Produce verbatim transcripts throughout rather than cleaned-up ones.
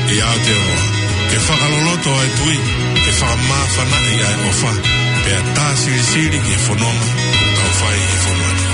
ʻI Aotearoa, ke fakaloloto ʻa e tui, ke fakamāfanaʻi ʻa e ʻofa, pea tā silisili ki he fononga ʻoku tau fai ʻi he fonua ni.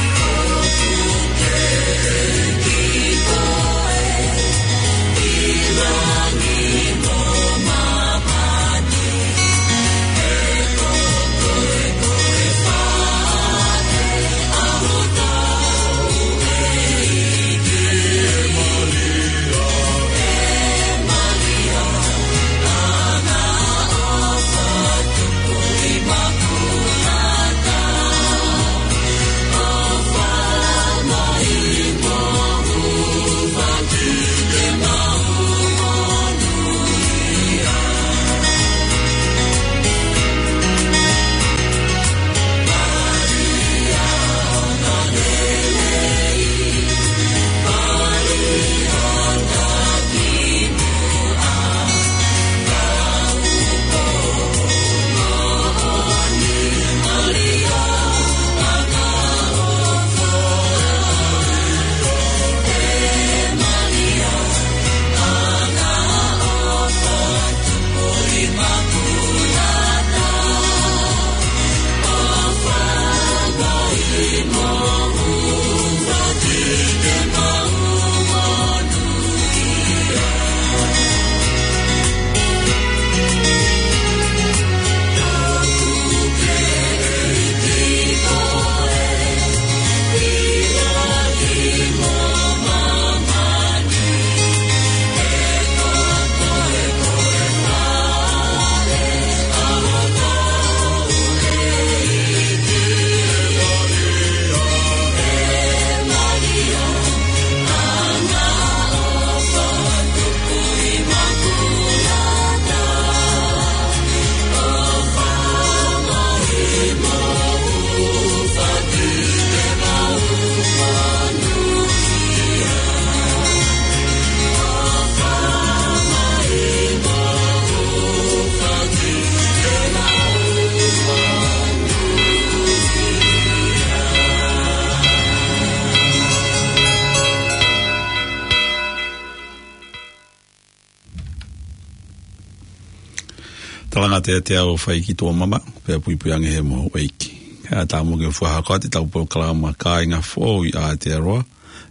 Talangata ʻiate au ʻa e fai ki tuʻa mama, pea puipui ange he moho ʻeiki. ʻE ʻatā muʻa ke u fakahoko atu ʻetau polokalama Kāinga Foʻou ʻi Aotearoa,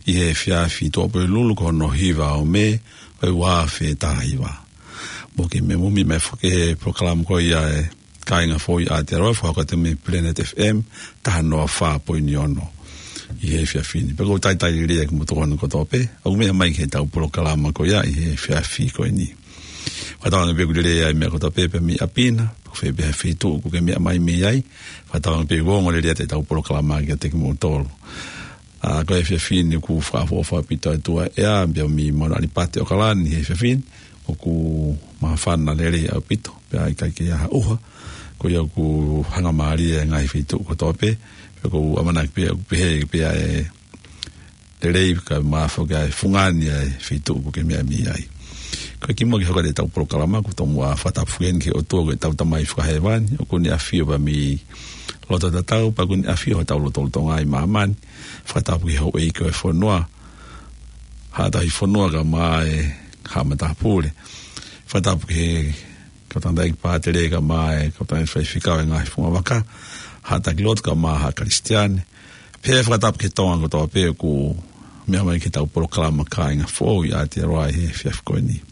ʻi he efiafi Tuʻapulelulu ko hono hiva ʻo Mē, ʻo e ua afe taha hiva. Mou kei meʻa mai foki he polokalama ko ia ʻa e Kāinga Foʻou ʻi Aotearoa, fakahoko atu mei Planet F M, taha noa fā poini ono. ʻI he efiafi ni. Pea ʻoku ou talitali lelei kimoutolu kotoa pē, ʻoku mou meʻa mai ki heʻetau polokalama ko ia ʻi he efiafi ko eni. Fakatauange pē ʻoku lelei ʻa e meʻa kotoa pē, pē mei ʻapi na, pe ko fē pē ha feituʻu ʻoku ke meʻa mai mei ai. Fakatauange pē ʻoku ongo lelei ʻetau polokalama kiate kimoutolu. ʻA, ko e efiafi ni ʻoku fakaʻofoʻofa ʻaupito ʻa e ʻOtua ʻEa, pea mei Mauna ʻAlipate ʻAokalani he efiafi ni, ʻoku māfana lelei ʻaupito, pea ʻikai ke ʻi ai ha ʻuha, ko ia ʻoku hangamālie ʻa e ngaahi feituʻu kotoa pē, pea ʻoku ou ʻamanaki pē, ʻoku pehē pē ʻa e lelei kae ʻumaʻā foki ʻa e fungani ʻa e feituʻu ʻoku ke meʻa mei ai. Ko e kimuʻa ke hoko atu ʻetau polokalama, ʻoku ou tomuʻa fakatapu foki eni ki he ʻOtua ko ʻetau Tamai Fakahēvani, ʻoku ne ʻafio pē mei loto tatau, pea ʻoku ne ʻafio ʻi hotau lotolotonga ʻi māmani, fakatapu ki he houʻeiki ʻo e fonua, Haʻa Tauhi Fonua kae ʻumaʻā e Haʻa Matāpule, fakatapu ki he kau tangataʻeiki pātele kae ʻumaʻā e kau tangataʻeiki faifekau ʻo e ngaahi fungavaka, Haʻa Taki Lotu kae ʻumaʻā Haʻa Kalisitiane. Pea fakatapu ki he Tonga kotoa pē ʻoku meʻa mai ki heʻetau polokalama Kāinga Foʻou ʻi Aotearoa ʻi he efiafi ko eni.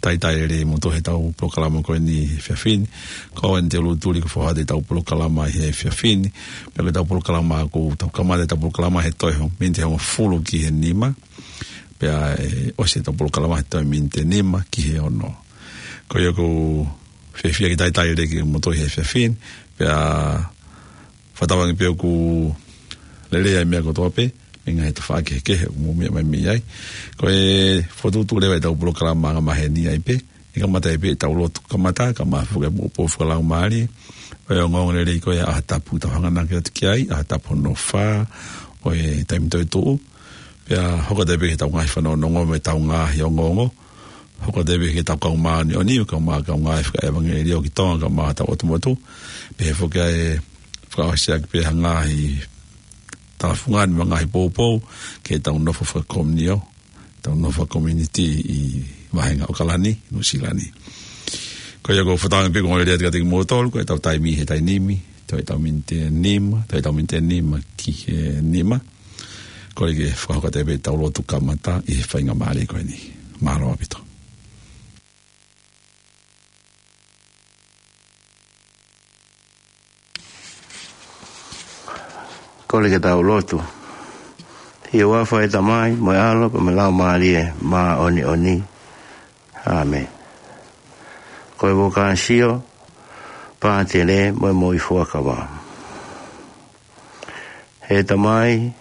Talitali lelei kimoutolu heʻetau polokalama ko eni he efiafi ni. Ko eni te u lūtuli ke fakahoko atu ʻetau polokalama he efiafi ni. Pea ko ʻetau polokalama ʻoku tau kamata ʻetau polokalama he toe miniti ʻe hongofulu ki he nima. Pea ʻe ʻosi ʻetau polokalama he toe miniti ʻe nima ki he ono. Ko ia ʻoku ou fiefia ke talitali lelei kimoutolu he efiafi ni. Pea fakatauange pē ʻoku lelei ʻa e meʻa kotoa pē, mei he ngaahi tafaʻaki kehekehe ʻoku mou meʻa mai mei ai. Ko e fokotuʻutuʻu leva ʻetau polokalama angamaheni ai pē, ʻe kamata ai pē ʻetau lotu kamata, kae ʻumaʻā foki e poupou fakalaumālie. ʻO e ongoongolelei ko ia ʻa e ʻaho tapu ʻoku tau hanganaki atu ki ai, ʻaho tapu hono fā ʻo e taimi toetuʻu. Pea hoko atu ai pē ki heʻetau ngaahi fanongonongo mo ʻetau ngaahi ongoongo. Hoko atu ai pē ki heʻetau kau māʻoniʻoni, kau mā-, kau ngāue fakaʻevangeliō ki Tonga, kae ʻumaʻā hotau ʻotu motu. Pehē foki ʻa e fakaʻosiʻaki pē ha ngaahi talafungani mo e ngaahi poupou, ki heʻetau nofo fakakomiunio, tau nofo komiunitī ʻi he vahenga ʻAokalani, Nuʻusila ni. Ko ia ko e fakatauange pē ko e ongoongolelei atu kiate kimoutolu, ko ʻetau taimi he taimi ni, toe ʻetau miniti ʻe nima, toe ʻetau miniti ʻe nima ki he nima. Kole ke fakahoko atu pē ʻetau lotu kamata ʻi he faingamālie ko eni. Mālō ʻaupito. Kole ke tau lotu. ʻI he huafa ʻo e Tamai, mo e ʻAlo, pea mo e Laumālie Māʻoniʻoni. ʻĀmeni. Ko e vokāsio pātele mo e moʻui fuakava. ʻE Tamai,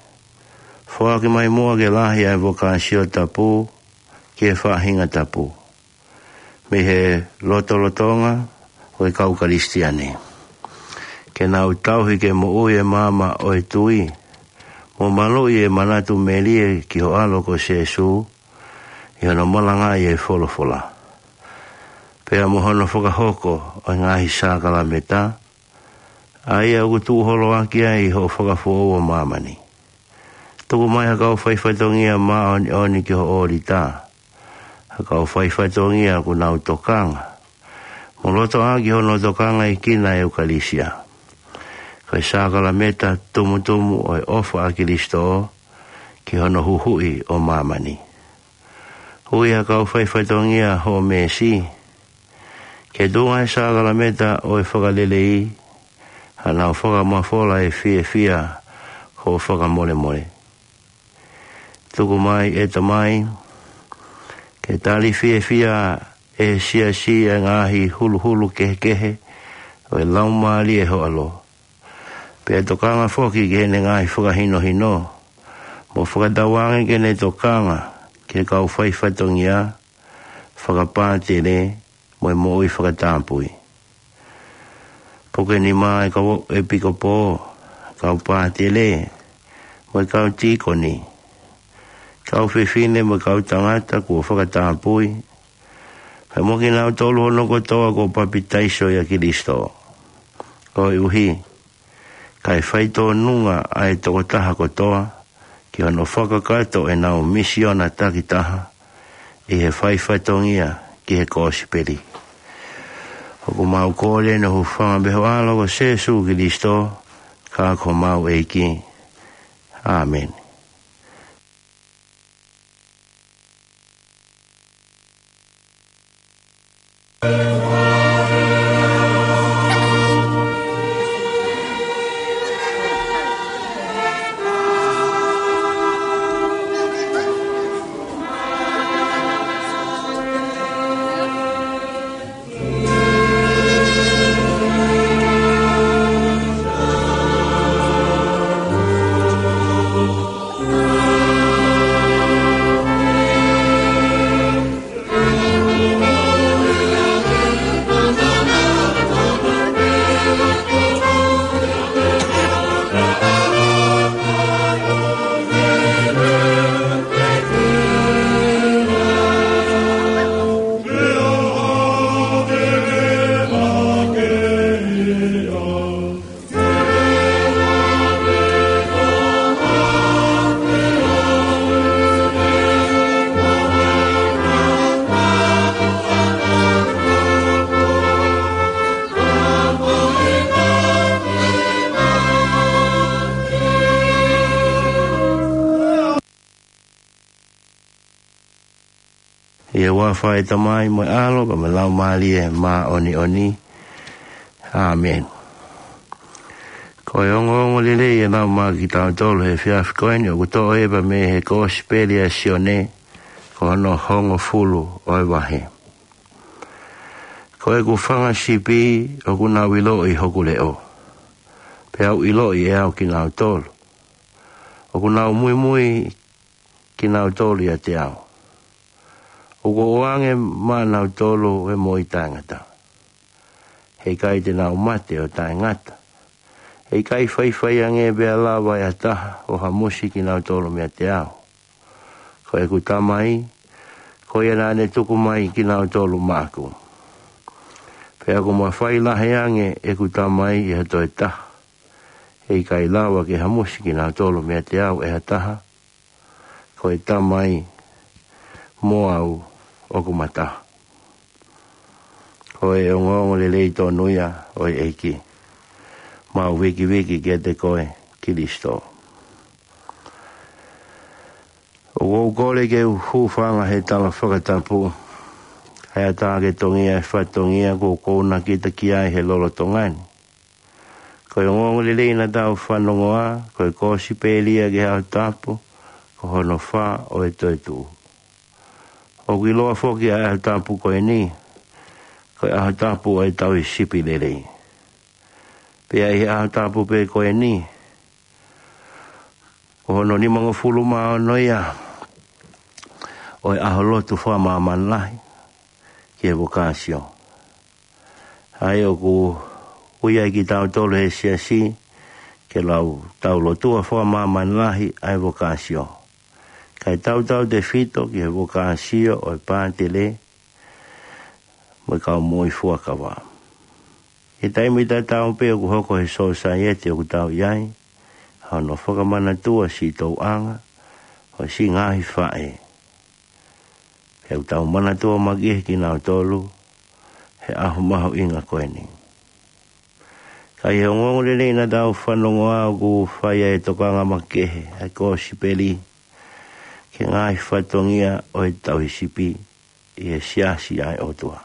foaki mai muʻa ke lahi ʻa e vokāsio tapu ki he faʻahinga tapu mei he lotolotonga ʻo e kau Kalisitiane, ke nau tauhi ke moʻui e maama ʻo e tui, mo maluʻi e manatu melie ki ho ʻAlo ko Sēsū, ʻi hono malangaʻi e folofola, pea mo hono fakahoko ʻo e ngaahi sākalameta, ʻa ia ʻoku tuʻuholoaki ai hoʻo fakafoʻou ʻo māmani. Tuku mai ha kau faifatongia māʻoniʻoni ki ho ʻōlita, ha kau faifatongia ʻoku nau tokanga mo lotoʻaki hono tokangaʻi ʻa e ʻEukalesia, ko e sākalameta tumutumu ʻo e ʻofa ʻa Kilisitō ki hono huhuʻi ʻo māmani. Ui ha kau faifatongia hoʻo mēsi ke tuʻunga e sākalameta ʻo e fakalelei, hanau fakamafola e fiefia hoʻo fakamolemole. Tuku mai ʻe Tamai ke tali fiefia ʻe he siasi ʻa e ngaahi huluhulu kehekehe ʻo e Laumālie ʻo ho ʻAlo, pea tokanga foki ki heʻene ngaahi fakahinohino, mo fakatauange ke ne tokanga ki he kau faifatongia, fakapātele, mo e moʻui fakatapui. Puke nima e kau ʻepikopō, kau pātele, mo e kau tīkoni, kau fefine mo e kau tangata kuo fakatapui, pea mo kinautolu hono kotoa kuo papitaiso ʻia Kilisitō. Koeʻuhi kae faitōnunga ʻa e tokotaha kotoa ki hono fakakakato ʻenau misiona takitaha ʻi he faifatongia ki he kosipeli. ʻOku mau kole ʻeni ʻi he huafa ʻo ho ʻAlo ko Sēsū Kilisitō, ko homau ʻEiki. ʻĀmeni. ʻI he huafa ʻo e Tamai mo e ʻAlo pea mo e Laumālie Māʻoniʻoni. ʻĀmeni. Ko e ongoongolelei ʻe lau maʻa kitautolu he efiafi ko eni ʻoku toʻo ia mei he Kosipeli ʻa Sione, ko hono hongofulu ʻo e vahe. Ko ʻeku fanga sipi ʻoku nau ʻiloʻi hoku leʻo, pea ʻoku ʻiloʻi ʻe au kinautolu. ʻOku nau muimui kinautolu ʻiate au. ʻOku ou ʻoange maʻanautolu ʻa e moʻui taʻengata. He ʻikai te nau mate ʻo taʻengata. He ʻikai faifai ange pea lava ʻe ha taha ʻo hamusi kinautolu meiate au. Ko ʻeku Tamai, ko ia naʻa ne tuku mai kinautolu maʻaku. Pea ʻoku mafai lahi ange ʻeku Tamai ʻi ha toe taha. He ʻikai lava ke hamusi kinautolu meiate au ʻe ha taha. Ko e Tamai, mo au ʻoku ma taha. Ko e ongoongolelei tonu ia ʻo e ʻEiki. Mau vikiviki kiate koe, Kilisi. ʻOku ou kole ke u hūfanga he tala fakatapu, ʻa e ʻatā ke tongia e fatongia kuo kounakita ki ai he lolotonga ni. Ko e ongoongolelei naʻa tau fanongoa, ko e kosipeli ia ki he ʻaho tapu, ko hono fā ʻo e toetuʻu. ʻOku ʻiloa foki ʻa e ʻaho tapu ko eni, ko e ʻaho tapu ʻo e tauhi sipi lelei. Pea ʻi he ʻaho tapu pē ko eni, ko hono nimangofulu mā ono ia ʻo e ʻaho lotu fakamāmani lahi ki he vokāsio. ʻA ia ʻoku ui ai kitautolu he siasi ke lau tau lotua fakamāmani lahi ʻa e vokāsio. Kae tautautefito ki he vokāsio ʻo e pātele mo e kau moʻui fuakava. ʻI he taimi tatau pē ʻoku hoko he sōsaieti ʻoku tau ʻi ai, ʻa hono fakamanatua siʻi tōʻonga ʻo siʻi ngaahi faʻē. He ʻoku tau manatua makehe kinautolu he ʻaho mahuʻinga ko eni. Ka ʻi he ongoongolelei naʻa tau fanongoa ʻoku fai ai e tokanga makehe ʻa e kosipeli ki he ngaahi fatongia ʻo e tauhi sipi ʻi he siasi ʻa e ʻOtua.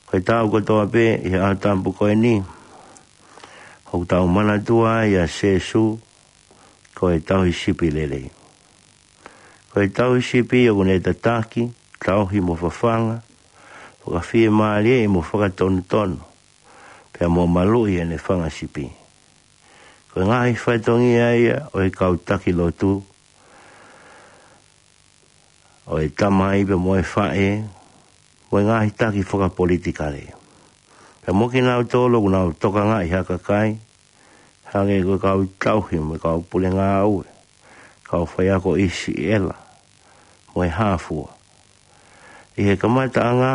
Ko e taʻu kotoa pē ʻi he ʻaho tapu ko eni, ʻoku tau manatua ai ʻa Sēsū ko e tauhi sipi lelei. Ko e tauhi sipi ʻoku ne tataki, tauhi mo fafanga, fakafiemālieʻi mo fakatonutonu, pea mo maluʻi ʻene fanga sipi. Ko e ngaahi fatongia ia ʻo e kau taki lotu, ʻo e tamai pea mo e faʻē, mo e ngaahi taki fakapolitikale. Pea mo kinautolu ʻoku nau tokangaʻi ha kakai, hangē ko e kau tauhi mo e kau pule ngāue, kau faiako ʻi siʻi ʻela, mo e hā fua. ʻI he kamataʻanga,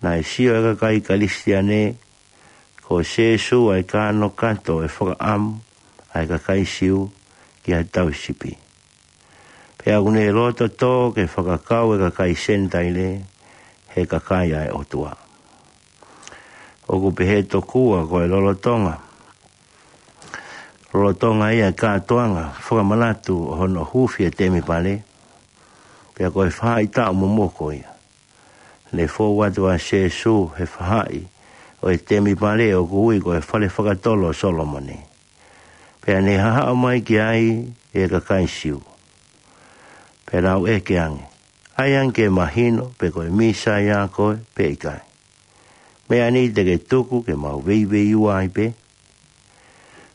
naʻe sio e kakai Kalisitiane, ko Sēsū ʻa e kanokato ʻo e fakaʻamu ʻa e kakai Siu ki he tauhi sipi. Pea ʻoku ne loto tō ke fakakau e kakai Senitaile he kakai ʻa e ʻOtua. ʻOku pehē tokua ko e lolotonga, lolotonga ia e kātoanga fakamanatu ʻo hono huufi e temipale, pea ko e faʻahitaʻu momoko ia. Ne fou atu ʻa Sēsū he faʻahi ʻo e temipale ʻoku ui ko e fale fakatolo ʻo Solomone. Pea ne haʻu mai ki ai e kakai Siu. Pea nau ʻeke ange, ʻai ange ke mahino pe ko e Mīsaia koe pe ʻikai. Meʻa ni te ke tuku ke mau veiveiua ai pē.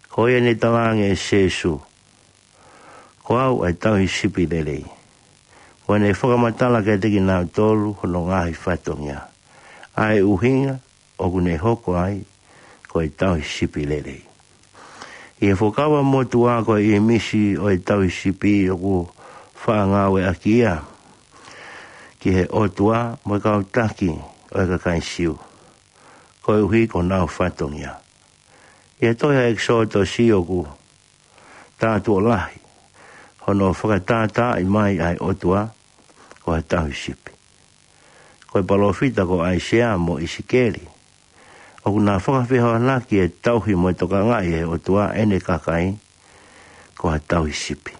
Ko ia ne talaange ʻe Sēsū, ko au ʻa e tauhi sipi lelei. Ko ʻene fakamatala kiate kinautolu hono ngaahi fatongia, ʻa e ʻuhinga ʻoku ne hoko ai ko e tauhi sipi lelei. ʻI he Fuakava Motuʻa ko e ʻīmisi ʻo e tauhi sipi ʻoku faʻa ngāueʻaki ia ki he ʻOtua mo e kau taki ʻo e kakai Siu, koeʻuhi ko honau fatongia. ʻI he tohi ʻa ʻEkisoto ʻoku tātuʻo lahi hono fakatātaaʻi mai ʻa e ʻOtua ko ha tauhi sipi. Ko e palōfita ko ʻAisea mo ʻIsikeli, ʻoku na fakafehoanaki e tauhi mo e tokangaʻi ʻe he ʻOtua ʻene kakai ko ha tauhi sipi.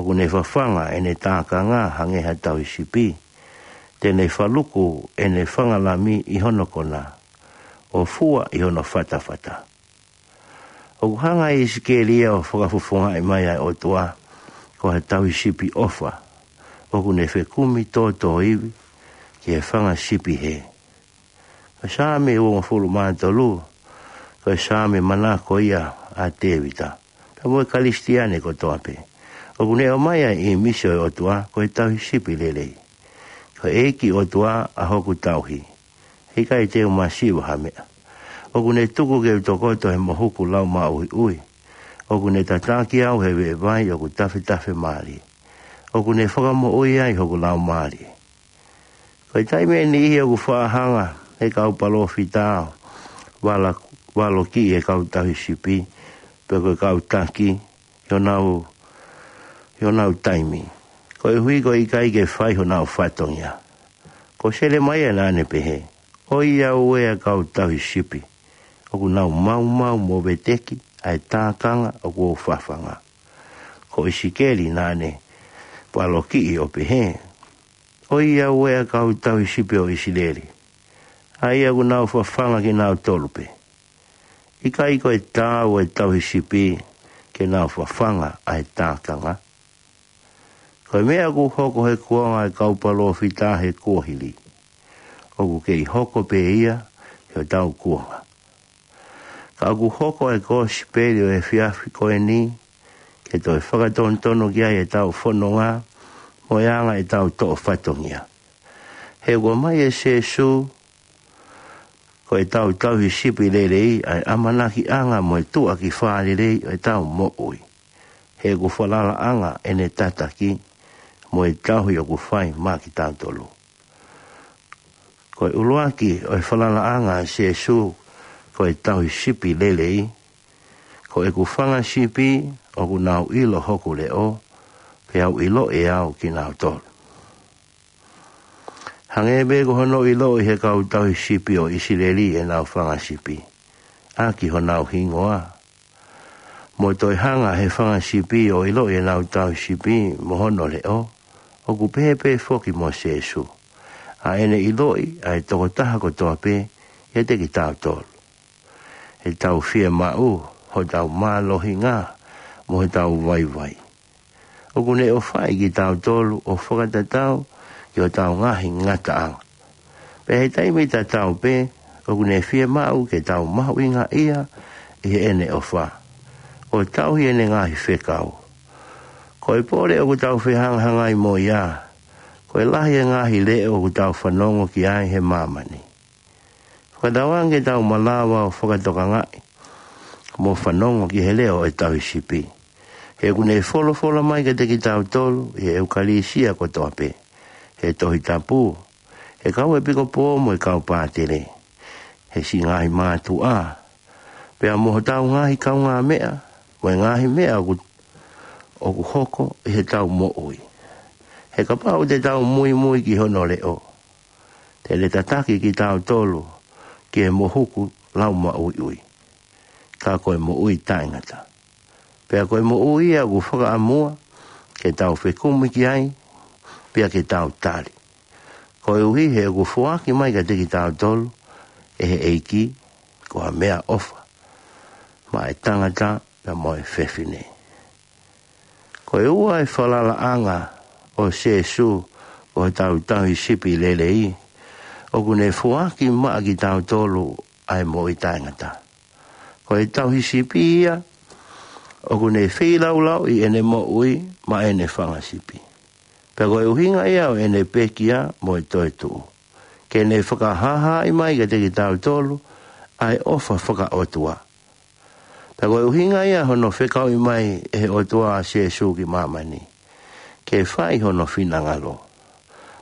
ʻOku ne fafanga ʻene tākanga hangē ha tauhi sipi, te ne faluku ʻene fanga lami ʻi hono kona, ʻo fua ʻi hono fatafata. ʻOku hanga ʻe ʻIsikeli ia ʻo fakafofongaʻi mai ʻa e ʻOtua ko ha tauhi sipi ʻofa, ʻoku ne fekumi tōtōivi ki he fanga sipi hē. Ko e Saame uongofulu mā tolu, ko e Saame manako ia ʻa Tēvita, pea mo e Kalisitiane kotoa pē. ʻOku ne ʻomai ʻa e ʻīmisi ʻo e ʻOtua ko e tauhi sipi lelei. Ko e ʻEiki ʻOtua ʻa hoku tauhi, heʻikai te u masiva ha meʻa. ʻOku ne tuku ke u tokoto he mohuku laumaʻuiʻui. ʻOku ne tataki au he veʻe vai ʻoku tafetafe mālie. ʻOku ne fakamoʻui ai hoku laumālie. Ko e taimi ʻe niʻihi ʻoku faʻa hanga ʻe he kau palōfita ʻo vala-, valokiʻi e kau tauhi sipi, pe ko e kau taki, ʻi honau, ʻi honau taimi. koeʻuhi ko e ʻikai ke fai honau fatongia. Ko Selemaia naʻa ne pehē, ʻOiauē ʻa e kau tauhi sipi, ʻoku nau maumau mo veteki ʻa e tākanga ʻoku ou fafanga. Ko ʻIsikeli naʻa ne palokiʻi ʻo pehē, ʻOiauē ʻa e kau tauhi sipi ʻo ʻIsileli, ʻa ia ʻoku nau fafanga kinautolu pē. ʻIkai ko e taau ʻa e tauhi sipi ke nau fafanga ʻa e tākanga? Ko e meʻa ʻoku hoko he kuonga ʻa e kau palōfita he kuohili, ʻoku kei hoko pē ia he ʻetau kuonga. Ka ʻoku hoko ʻa e kosipeli ʻo e efiafi ko eni ke toe fakatonutonu ki ai ʻetau fononga mo e anga ʻetau toʻo fatongia. He ʻoku ʻomai ʻe Sēsū ko ʻetau tauhi sipi lelei ʻa e ʻamanakiʻanga mo e tuʻa ki fālelei ʻo ʻetau moʻui. He ʻoku falalaʻanga ʻene tataki mo e tauhi ʻoku fai maʻa kitautolu. Ko e ʻuluaki ʻo e falalaʻanga ʻa Sēsū ko e tauhi sipi lelei, ko ʻeku fanga sipi ʻoku nau ʻilo hoku leʻo, pea ʻoku ʻiloʻi ʻe au kinautolu. Hangē pē ko hono ʻiloʻi he kau tauhi sipi ʻo ʻIsileli ʻenau fanga sipi ʻaki honau hingoa, mo toe hanga he fanga sipi ʻo ʻiloʻi ʻenau tauhi sipi mo hono leʻo, ʻoku pehē pē foki mo Sēsū ʻa ʻene ʻiloʻi ʻa e tokotaha kotoa pē ʻiate kitautolu. ʻEtau fiemaʻu, hotau mālohinga, mo hotau vaivai, ʻoku ne ʻofaʻi kitautolu ʻo fakatatau ki hotau ngaahi ngataʻanga. Pea he taimi tatau pē, ʻoku ne fiemaʻu ke tau mahuʻingaʻia ʻi heʻene ʻofa, ʻo tauhi ʻene ngaahi fekau. Ko e pole ʻoku tau fehangahangai mo ia, ko e lahi e ngaahi leʻo ʻoku tau fanongo ki ai he māmani. Fakatauange ke tau malava ʻo fakatokangaʻi mo fanongo ki he leʻo ʻo e tauhi sipi. He ʻoku ne folofola mai kiate kitautolu ʻi he ʻEukalisia kotoa pē, he Tohi Tapu, he kau ʻepikopō mo e kau pātele, he siʻi ngaahi mātuʻa, pea mo hotau ngaahi kaungāmeʻa, mo e ngaahi meʻa ʻoku, ʻoku hoko ʻi heʻetau moʻui. He kapau te tau muimui ki hono leʻo, te ne tataki kitautolu ki he mohuku laumaʻuiʻui, ka ko e moʻui taʻengata. Pea ko e moʻui ia ʻoku fakaʻamua ke tau fekumi ki ai, pea ke tau tali. Koeʻuhi he ʻoku foaki mai kiate kitautolu ʻe he ʻEiki ko ha meʻaʻofa maʻa e tangata pea mo e fefine. Ko e ua e falalaʻanga ʻo Sēsū ko hotau tauhi sipi lelei, ʻoku ne foaki maʻa kitautolu ʻa e moʻui taʻengata. Ko e tauhi sipi ia ʻoku ne feilaulauʻi ʻene moʻui maʻa ʻene fanga sipi. Pea ko e ʻuhinga ia ʻo ʻene pekia mo e toetuʻu, ke ne fakahāhāʻi mai kiate kitautolu ʻa e ʻofa fakaʻotua. Pea ko e ʻuhinga ia hono fekauʻi mai ʻe he ʻOtua ʻa Sēsū ki māmani, ke fai hono finangalo.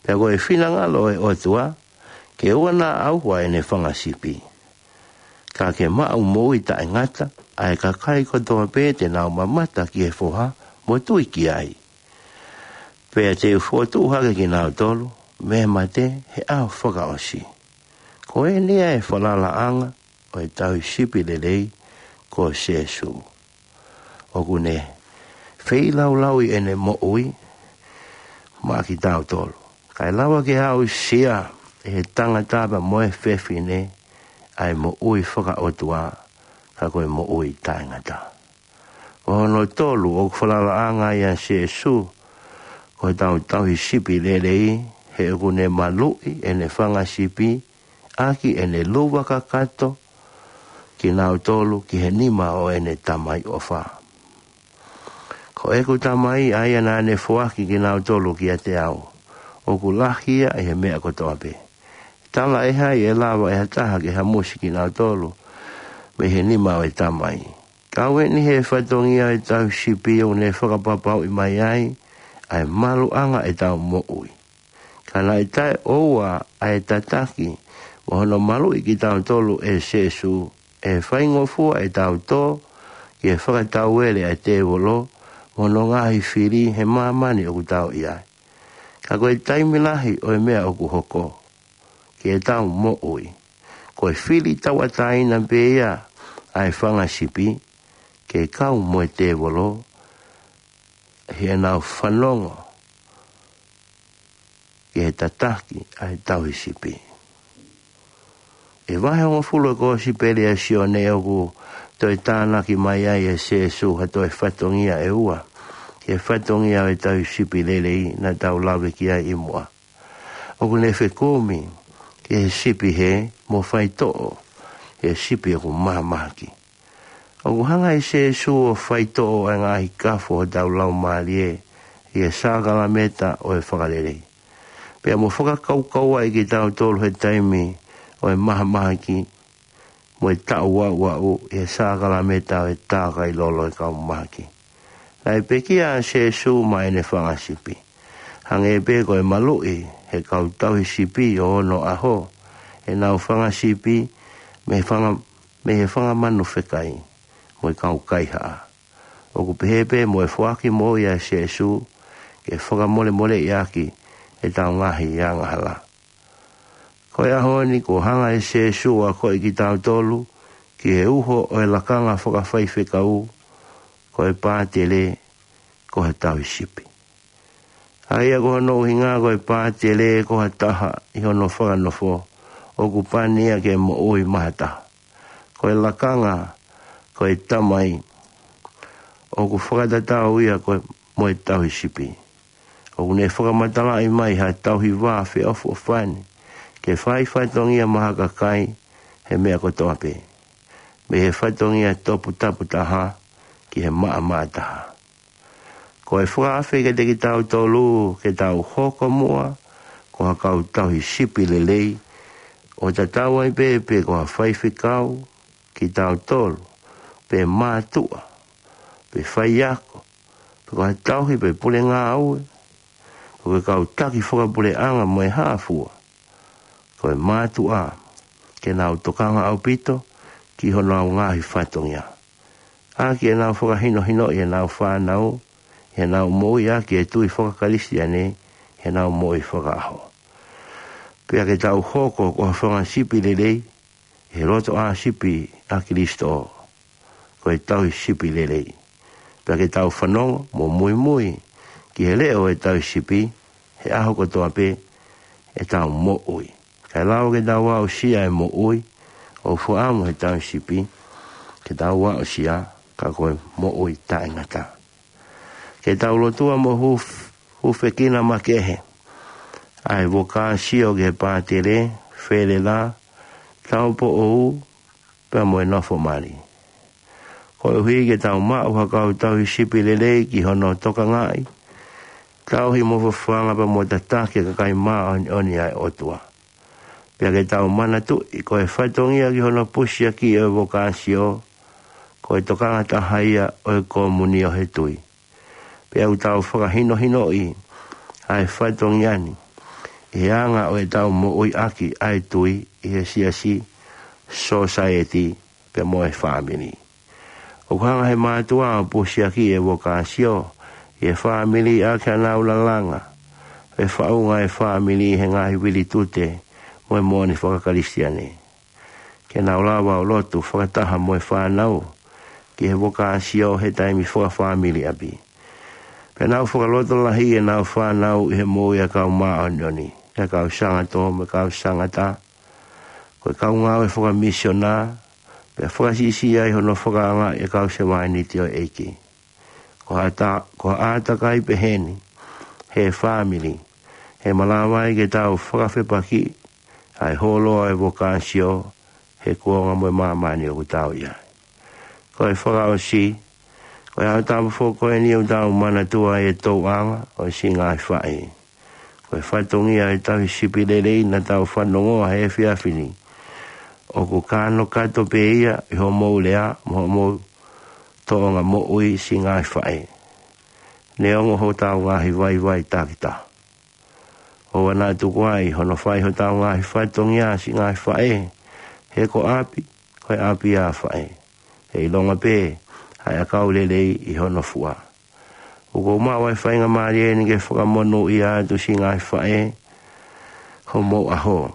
Pea ko e finangalo ʻo e ʻOtua, ke ʻoua naʻa ʻauha ʻene fanga sipi, ka ke maʻu moʻui taʻengata ʻa e kakai kotoa pē te nau mamata ki he foha mo tui ki ai. Pea te u fokotuʻu hake kinautolu mei he mate he ʻaho fakaʻosi. Ko eni ia e falalaʻanga ʻo e tauhi sipi lelei ko Sēsū. ʻOku ne feilaulauʻi ʻene moʻui maʻa kitautolu, kae lava ke aʻusia ʻe he tangata pea mo e fefine ʻa e moʻui fakaʻotua, ka ko e moʻui taʻengata. Ko hono tolu ʻoku falalaʻanga ai ʻa Sēsū ko hotau tauhi sipi lelei, he ʻoku ne maluʻi ʻene fanga sipi ʻaki ʻene luva kakato kinautolu ki he nima ʻo ʻene Tamai ʻofa. Ko ʻeku Tamai, ʻa ia naʻa ne foaki kinautolu kiate au, ʻoku lahi ia ʻi he meʻa kotoa pē. Talaʻehai ʻe lava ʻe ha taha ke hamusi kinautolu mei he nima ʻo e Tamai? Kau eni he fatongia ʻo e tauhi sipi ʻoku ne fakapapauʻi mai ai ʻa e maluʻanga ʻetau moʻui. Ka naʻe taʻeʻoua ʻa e tataki mo hono maluʻi kitautolu ʻe Sēsū, ʻe faingofua ʻetau tō ki he fakatauele ʻa e tēvolo mo hono ngaahi fili he māmani ʻoku tau ʻi ai. Ka ko e taimi lahi ʻo e meʻa ʻoku hoko, ke tau moʻui. Ko e fili tauʻatāina pē ia ʻa e fanga sipi, ke kau mo e tēvolo, heʻenau fanongo ki he tataki ʻa e tauhi sipi. ʻI he vahe hongofulu ʻo e Kosipeli ʻa Sione ʻoku toe tānaki mai ai ʻe Sīsū ha toe fatongia ʻe ua, ki he fatongia ʻo e tauhi sipi lelei naʻa tau lave ki ai ʻi muʻa. ʻOku ne fekumi ki he sipi hē mo faitoʻo, he sipi ʻoku mahamahaki. ʻOku hanga ʻe Sīsū ʻo faitoʻo ʻa e ngaahi kafo hotau laumālie ʻi he sākalamēniti ʻo e fakalelei, pea mo fakakaukauaʻi kitautolu he taimi ʻo e mahamahaki mo e taʻu aʻuaʻu ʻi he sākalamēniti ʻo e tākai lolo ʻo e kau mahaki. Naʻe pekia ʻa Sīsū maʻa ʻene fanga sipi. Hangē pē ko e maluʻi ʻe he kau tauhi sipi ʻo onoʻaho ʻenau fanga sipi mei he fanga, mei he fanga manu fekai mo e kau kaihaʻa, ʻoku pehē pē mo e foaki moʻui ʻa Sīsū ke fakamolemoleʻi ʻaki ʻetau ngaahi angahala. Ko e ʻaho ni kuo hanga ʻe Sīsū ʻo akoʻi kitautolu ki he uho ʻo e lakanga fakafaifekau, ko e pātele ko ha tauhi sipi. ʻA ia ko hono ʻuhinga ko e pātele ko ha taha ʻi hono fakanofo ʻoku pani ia ke moʻui maʻa ha taha. Ko e lakanga, ko e tamai, ʻoku fakatatau ia ko e, mo e tauhi sipi. ʻOku ne fakamatalaʻi mai ha tauhi vā feʻofoʻofani ke fai fatongia maʻa ha kakai he meʻa kotoa pē, mei he fatongia toputapu taha ki he maʻamaʻa taha. Ko e fakaafe kiate kitautolu ke tau hoko muʻa ko ha kau tauhi sipi lelei, ʻo tatau ai pē pe ko ha faifekau kitautolu, pe mātuʻa, pe faiako, pe ko ha tauhi pe pule ngāue, pe ko e kau taki fakapuleʻanga mo e hā fua. Ko e mātuʻa ke nau tokanga ʻaupito ki honau ngaahi fatongia, ʻaki ʻenau fakahinohinoʻi ʻenau fānau, ʻenau moʻui ʻaki e tui fakakalisitiane, ʻenau moʻui fakaʻaho. Pea ke tau hoko ko ha fanga sipi lelei, he loto ʻāsipi ʻa Kalaisi, ko e tauhi sipi lelei. Pea ke tau fanongo mo muimui ki he leʻo ʻo e tauhi sipi, he ʻaho kotoa pē ʻetau moʻui. Kae lava ke tau aʻusia e moʻui ʻoku fakaʻamu he tauhi sipi, ke tau aʻusia, ka ko e moʻui taʻengata. Ke tau lotua mo huf-, hufekina makehe ʻa e vokāsio ki he pātele, felela, taupoʻou, pea mo e nofo mali. Koeʻuhi ke tau maʻu ha kau tauhi sipi lelei ki hono tokangaʻi, tauhi mo fafanga pea mo tataki e kakai māʻoniʻoni ʻa e ʻOtua. Pea ke tau manatuʻi ko e fatongia ki hono pusiaki ʻo e vokāsio, ko e tokanga taha ia ʻo e komunio he tui. Pea ʻoku tau fakahinohinoʻi ʻa e fatongia ni ʻi he anga ʻo ʻetau moʻui ʻaki ʻa e tui ʻi he siasi, sōsaieti, pea mo e fāmili. ʻOku hanga he mātuʻa ʻo pusiaki e vokāsio ʻi he fāmili ʻaki ʻenau lalanga, fefaʻunga e fāmili he ngaahi vilitute mo e moʻoni fakakalisitiane. Ke nau lava ʻo lotu fakataha mo e fānau ki he vokāsio he taimi fakafāmili ʻapi. Pea nau fakalotolahi ʻenau fānau ʻi he moʻui ʻa e kau māʻoniʻoni, ʻa e kau sangatō mo e kau sangata, ko e kau ngāue fakamisiona, pea fakasiʻisiʻi ai hono fakaangaʻi e kau sevāniti ʻo e ʻEiki. Ko ha ʻata-, ko ha ʻātakai pehē ni he fāmili, he malava ai ke tau fakafepakiʻi ʻa e hōloa ʻo e vokāsio he kuonga mo e māmani ʻoku tau ʻi ai. Ko e fakaʻosi, ko e ʻaho tapu foki ko eni ʻoku tau manatua e tōʻonga ʻo e siʻi ngaahi faʻē. Ko e fatongia e tauhi sipi lelei naʻa tau fanongoa he efiafi ni, ʻoku kānokato pē ia ʻi hoʻomou lea mo hoʻomou tōʻonga moʻui siʻi ngaahi faʻē. Neongo hotau ngaahi vaivai takitaha, ʻoua naʻa tuku ai hono fai hotau ngaahi fatongia siʻi ngaahi faʻē he ko ʻapi, ko e ʻapi ʻa faʻē. He ʻilonga pē ʻa e ʻakau lelei ʻi hono fua. ʻOku ou maʻu ʻa e faingamālie ni ke fakamonūʻia atu siʻi ngaahi faʻē homou ʻaho,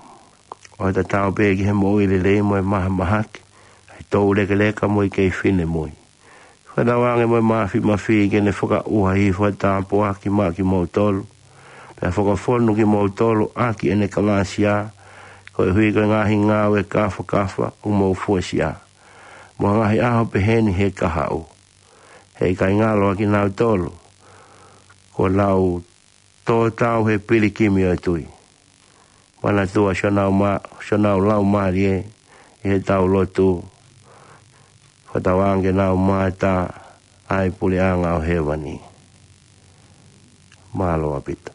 ʻo tatau pē ki he moʻui lelei mo e mahamahaki, ʻa e toulekeleka mo e kei finemui. Fakatauange mo e mafimafi ke ne fakaʻuha hifo ʻa e tāpuaki maʻa kimoutolu, pea fakafonu kimoutolu ʻaki ʻene kalāsia, koeʻuhi ko e ngaahi ngāue kāfakafa ʻoku mou fuesia, mo e ngaahi ʻaho pehē ni he kahaʻu. He ʻikai ngalo ʻa kinautolu, kuo nau tō tau he pilikimi ʻo e tui. Manatua siʻonau ma-, siʻonau laumālie ʻi heʻetau lotu. Fakatauange ke nau mamata ʻa e puleʻanga ʻo hēvani. Mālō ʻaupito.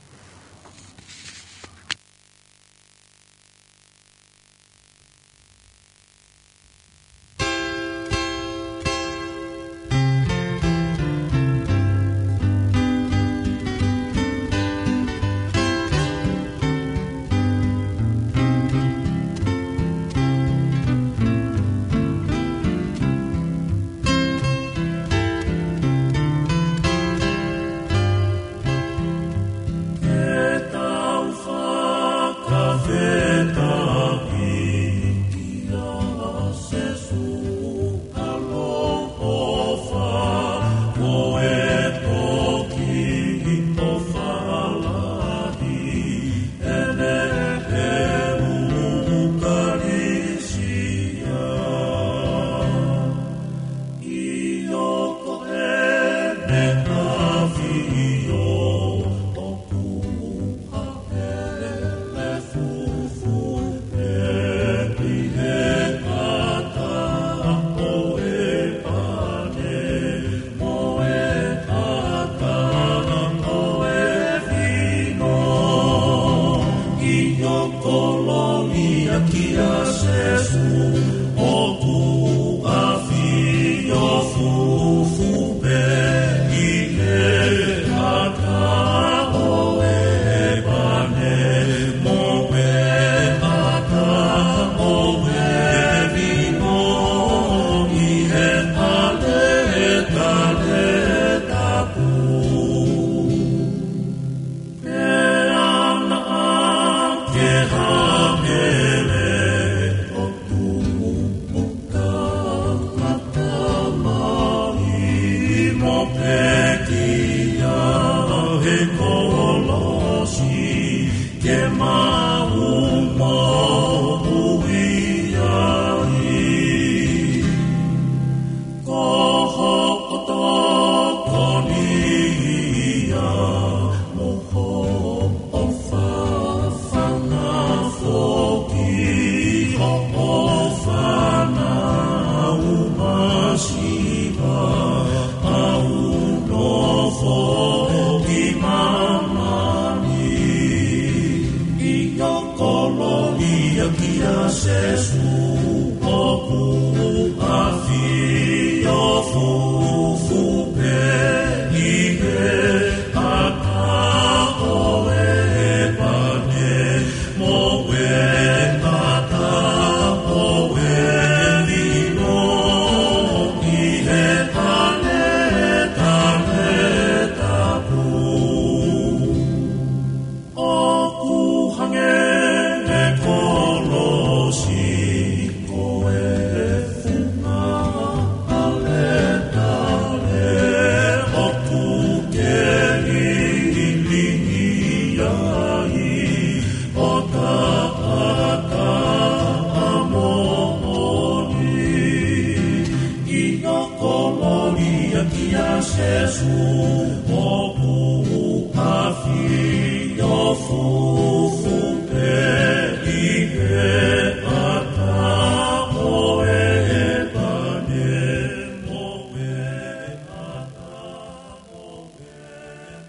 Ke tau fakafetaʻi kia Sēsū ʻaloʻofa, ko e toki ʻofa lahi ʻene ʻEukalisia. ʻIo, ko ʻene ʻAfio ʻoku haʻele fufū pē ʻi he ʻata ʻo e pane mo e ʻata ʻo e vino. ʻIo, kolōlia kia Sēsū, ʻoku ʻafio fufū pē ʻi he ʻata ʻo e pane mo e ʻata ʻo e vino ʻi he ʻaletale tapu. Pea naʻa ke haʻele ʻo tuʻu kamata mai mo pekia he kolosi ke mau moʻui ai. Ko hoʻo tokoni ia mo hoʻo fafanga foki hoʻo fānau masiva ʻoku nofo ʻi māmani. ʻIo, kolōlia kia Sēsū, ʻoku ʻafio fufū pē ʻi he ʻata ʻo e pane mo e ʻata ʻo e vino ʻi he ʻaletale tapu. ʻOku hangē ʻa e kolosi ko e funga ʻaletale ʻoku ke lilingi ai ʻo taʻataʻa moʻoni. ʻIo, kolōlia kia Sēsū, ʻoku ʻafio fufū pē ʻi he ʻata ʻo e pane mo e ʻata ʻo e vino.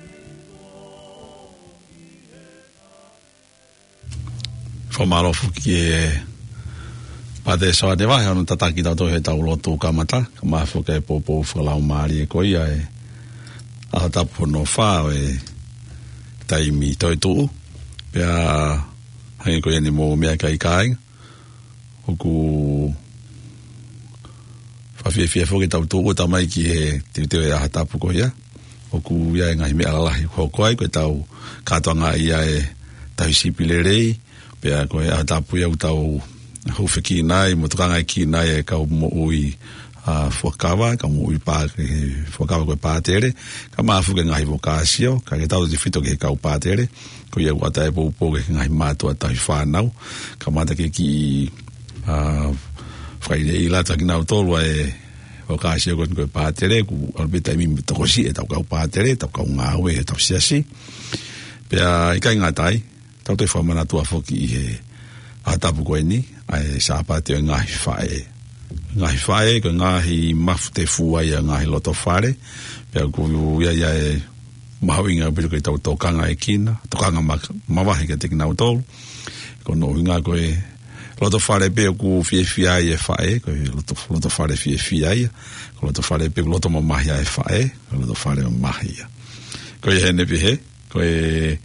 Fakamālō foki e Pātele Soane Vahe hono tataki kitautolu heʻetau lotu kamata, kae ʻumaʻā foki e poupou fakalaumālie ko ia ʻa e ʻAho Tapu hono fā ʻo e taimi toetuʻu. Pea hangē ko ia ne mou meʻa ki ai kāinga, ʻoku fakafiefia foki ʻetau tuʻu ʻo tamaiki he teuteu e ʻaho tapu ko ia. ʻOku ʻi ai e ngaahi meʻa lalahi ʻoku hoko ai, ko ʻetau kātoanga ia e tauhi sipi lelei, pea ko e ʻaho tapu ia ʻoku tau hūfekina ai mo tokangaekina ai e kau moʻui, ʻa, fuakava, kau moʻui pā-, ke fuakava ko e pātele, kae ʻumaʻā foki e ngaahi vokāsio, kae tau tefito ki he kau pātele, ko ia ʻoku ʻatā e poupou ki he ngaahi mātuʻa tauhi fānau, kamata ke kiʻi, ʻa, fakaʻiloʻilo atu kiate kinautolu ʻa e vokāsio ko eni ko e pātele, ʻoku ʻalu pē taimi mo e tokosiʻi ʻetau kau pātele, ʻetau kau ngāue, ʻetau siasi. Pea ʻikai ngata ai, tau toe fakamanatua foki ʻi he ʻaho tapu ko eni, ʻa e Sāpate ʻo e ngaahi faʻē. Ngaahi faʻē, ko e ngaahi mafu tefua ia ʻo e ngaahi loto fale, pea ʻoku ʻi ai ʻa e mahuʻinga ʻaupito ke tau tokangaekina, tokanga ma-, mavahe kiate kinautolu. Ko hono ʻuhinga ko e loto fale pē ʻoku fiefia ai e faʻē, ko e loto, loto fale fiefia ia. Ko e loto fale pē ʻoku loto mamahi ai e faʻē, ko e loto fale mamahi ia. Ko ia heni pē he, ko e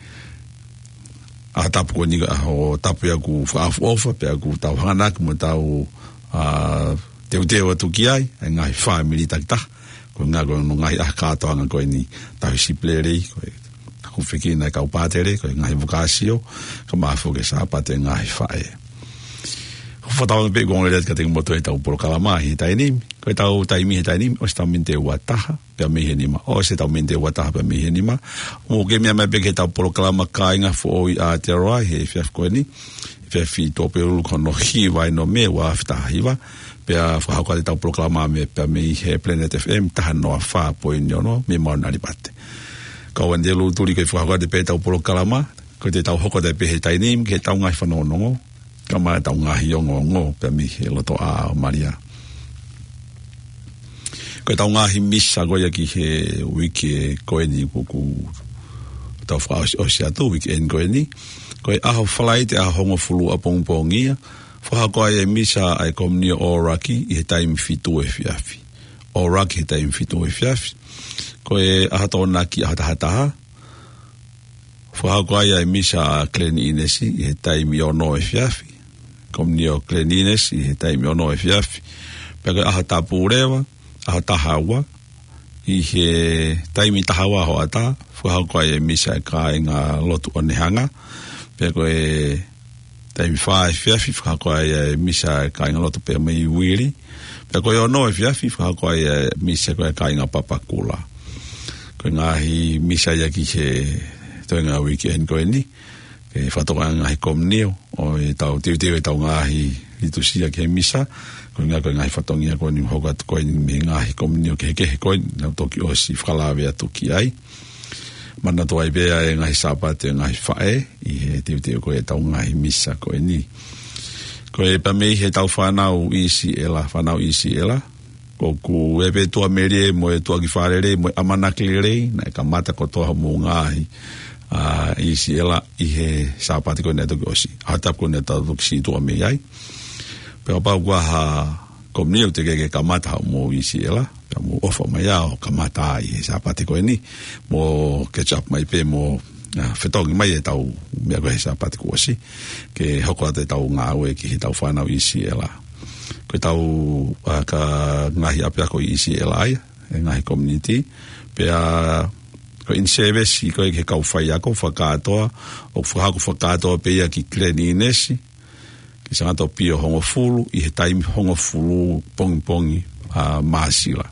ʻaho tapu ko eni ko e ʻaho tapu ia ʻoku fakaʻofoʻofa, pea ʻoku tau hanganaki mo tau, ʻa, teuteu atu ki ai, e ngaahi fāmili takitaha, ko e ngaahi, ko hono ngaahi ʻaho kātoanga ko eni tauhi sipi lelei, ko e hūfekina e kau pātele, ko e ngaahi vokāsio, kae ʻumaʻā foki e Sāpate ʻo e ngaahi faʻē. ʻOku ou fakatauange pē ʻoku ongo lelei atu kiate kimoutolu ʻetau polokalama ʻi he taimi ni, ko ʻetau taimi he taimi ni, ʻosi ʻetau miniti ʻe ua taha, pea mei he nima, ʻosi ʻetau miniti ʻe ua taha pea mei he nima. Mou kei meʻa mai pē ki heʻetau polokalama Kāinga Foʻou ʻi Aotearoa he efiafi ko eni, efiafi Tuʻapulelulu ko hono hiva ʻo Nōmē, ua afe taha hiva, pea fakahoko atu ʻetau polokalama mei, pea mei he Planet F M taha noa fā poini ono, mei Mauna Lipate. Kau Anitelu Tuli ko e fakahoko atu pē ʻetau polokalama, ko ʻetau hoko atu pē he taimi ni, ki heʻetau ngaahi fanongonongo, kae ʻumaʻā ʻetau ngaahi ongoongo, pea mei he lotoʻā ʻo Malia. Ko ʻetau ngaahi misa ko ia ki he uike ko eni ʻoku, ʻoku tau fakaʻosiʻosi atu, uike eni ko eni. Ko e ʻaho Falaite, ʻaho hongofulu ʻapongipongi ia, fakahoko ai e misa ʻa e komiunio ʻŌlaki ʻi he taimi fitu efiafi. ʻŌlaki he taimi fitu efiafi. Ko e ʻaho Tokonaki, ʻaho taha taha, fakahoko ai ʻa e misa ʻa Glen Innes ʻi he taimi ono efiafi. Komiunio Glen Innes ʻi he taimi ono efiafi. Pea ko e ʻaho Tapu Leva, ʻaho taha ua, ʻi he taimi taha ua hoʻatā, fakahoko ai e misa ʻa e kāinga lotu ʻo Nehanga. Pea ko e taimi fā efiafi, fakahoko ai e misa ʻa e kāinga lotu pea mei Uili. Pea ko e ono efiafi, fakahoko ai e misa ko e kāinga Papakura. Ko e ngaahi misa ia ki he toenga uike eni ko eni, ke fakatokangaʻi e ngaahi komiunio, ʻo ʻetau teuteu ʻetau ngaahi litūsia ki he misa, ko e ngaahi, ko e ngaahi fatongia ko eni ʻoku hoko atu ko eni mei he ngaahi komiunio kehekehe ko eni, naʻa tau toki ʻosi fakalave atu ki ai. Manatuʻi pē ʻa e ngaahi Sāpate ʻo e ngaahi faʻē, ʻi he teuteu ko ē ʻetau ngaahi misa ko eni. Ko e pea mei heʻetau fānau ʻIsiʻela, fānau ʻIsiʻela, ʻoku ʻi ai pē tuʻamelie mo e tuʻakifālele mo e ʻamanaki lelei, naʻe kamata kotoa hoʻomou ngaahi, ʻa, ʻIsiʻela ʻi he Sāpate ko ē naʻe toki ʻosi. ʻAho Tapu ko ē naʻa tau toki sītuʻa mei ai. Pea kapau ʻoku ʻi ai ha komiunio ʻoku teʻeki ke kamata hoʻomou ʻIsiʻela, pea mou ʻofa mai ʻo kamata ʻi he Sāpate ko eni, mou catch up mai pē mo, ʻa, fetongi mai ʻetau meʻa ko ē he Sāpate kuo ʻosi, ke hoko atu ʻetau ngāue ki heʻetau fānau ʻIsiʻela. Ko ʻetau, ʻa, ka ngaahi ʻapiako ʻi ʻIsiʻela ia, e ngaahi community, pea ko e in-service ko ē ki he kau faiako fakakātoa, ʻoku fakahoko fakakātoa pē ia ki Glen Innes, ki Sangata ʻo Pio hongofulu, ʻi he taimi hongofulu pongipongi, ʻa, Māsila.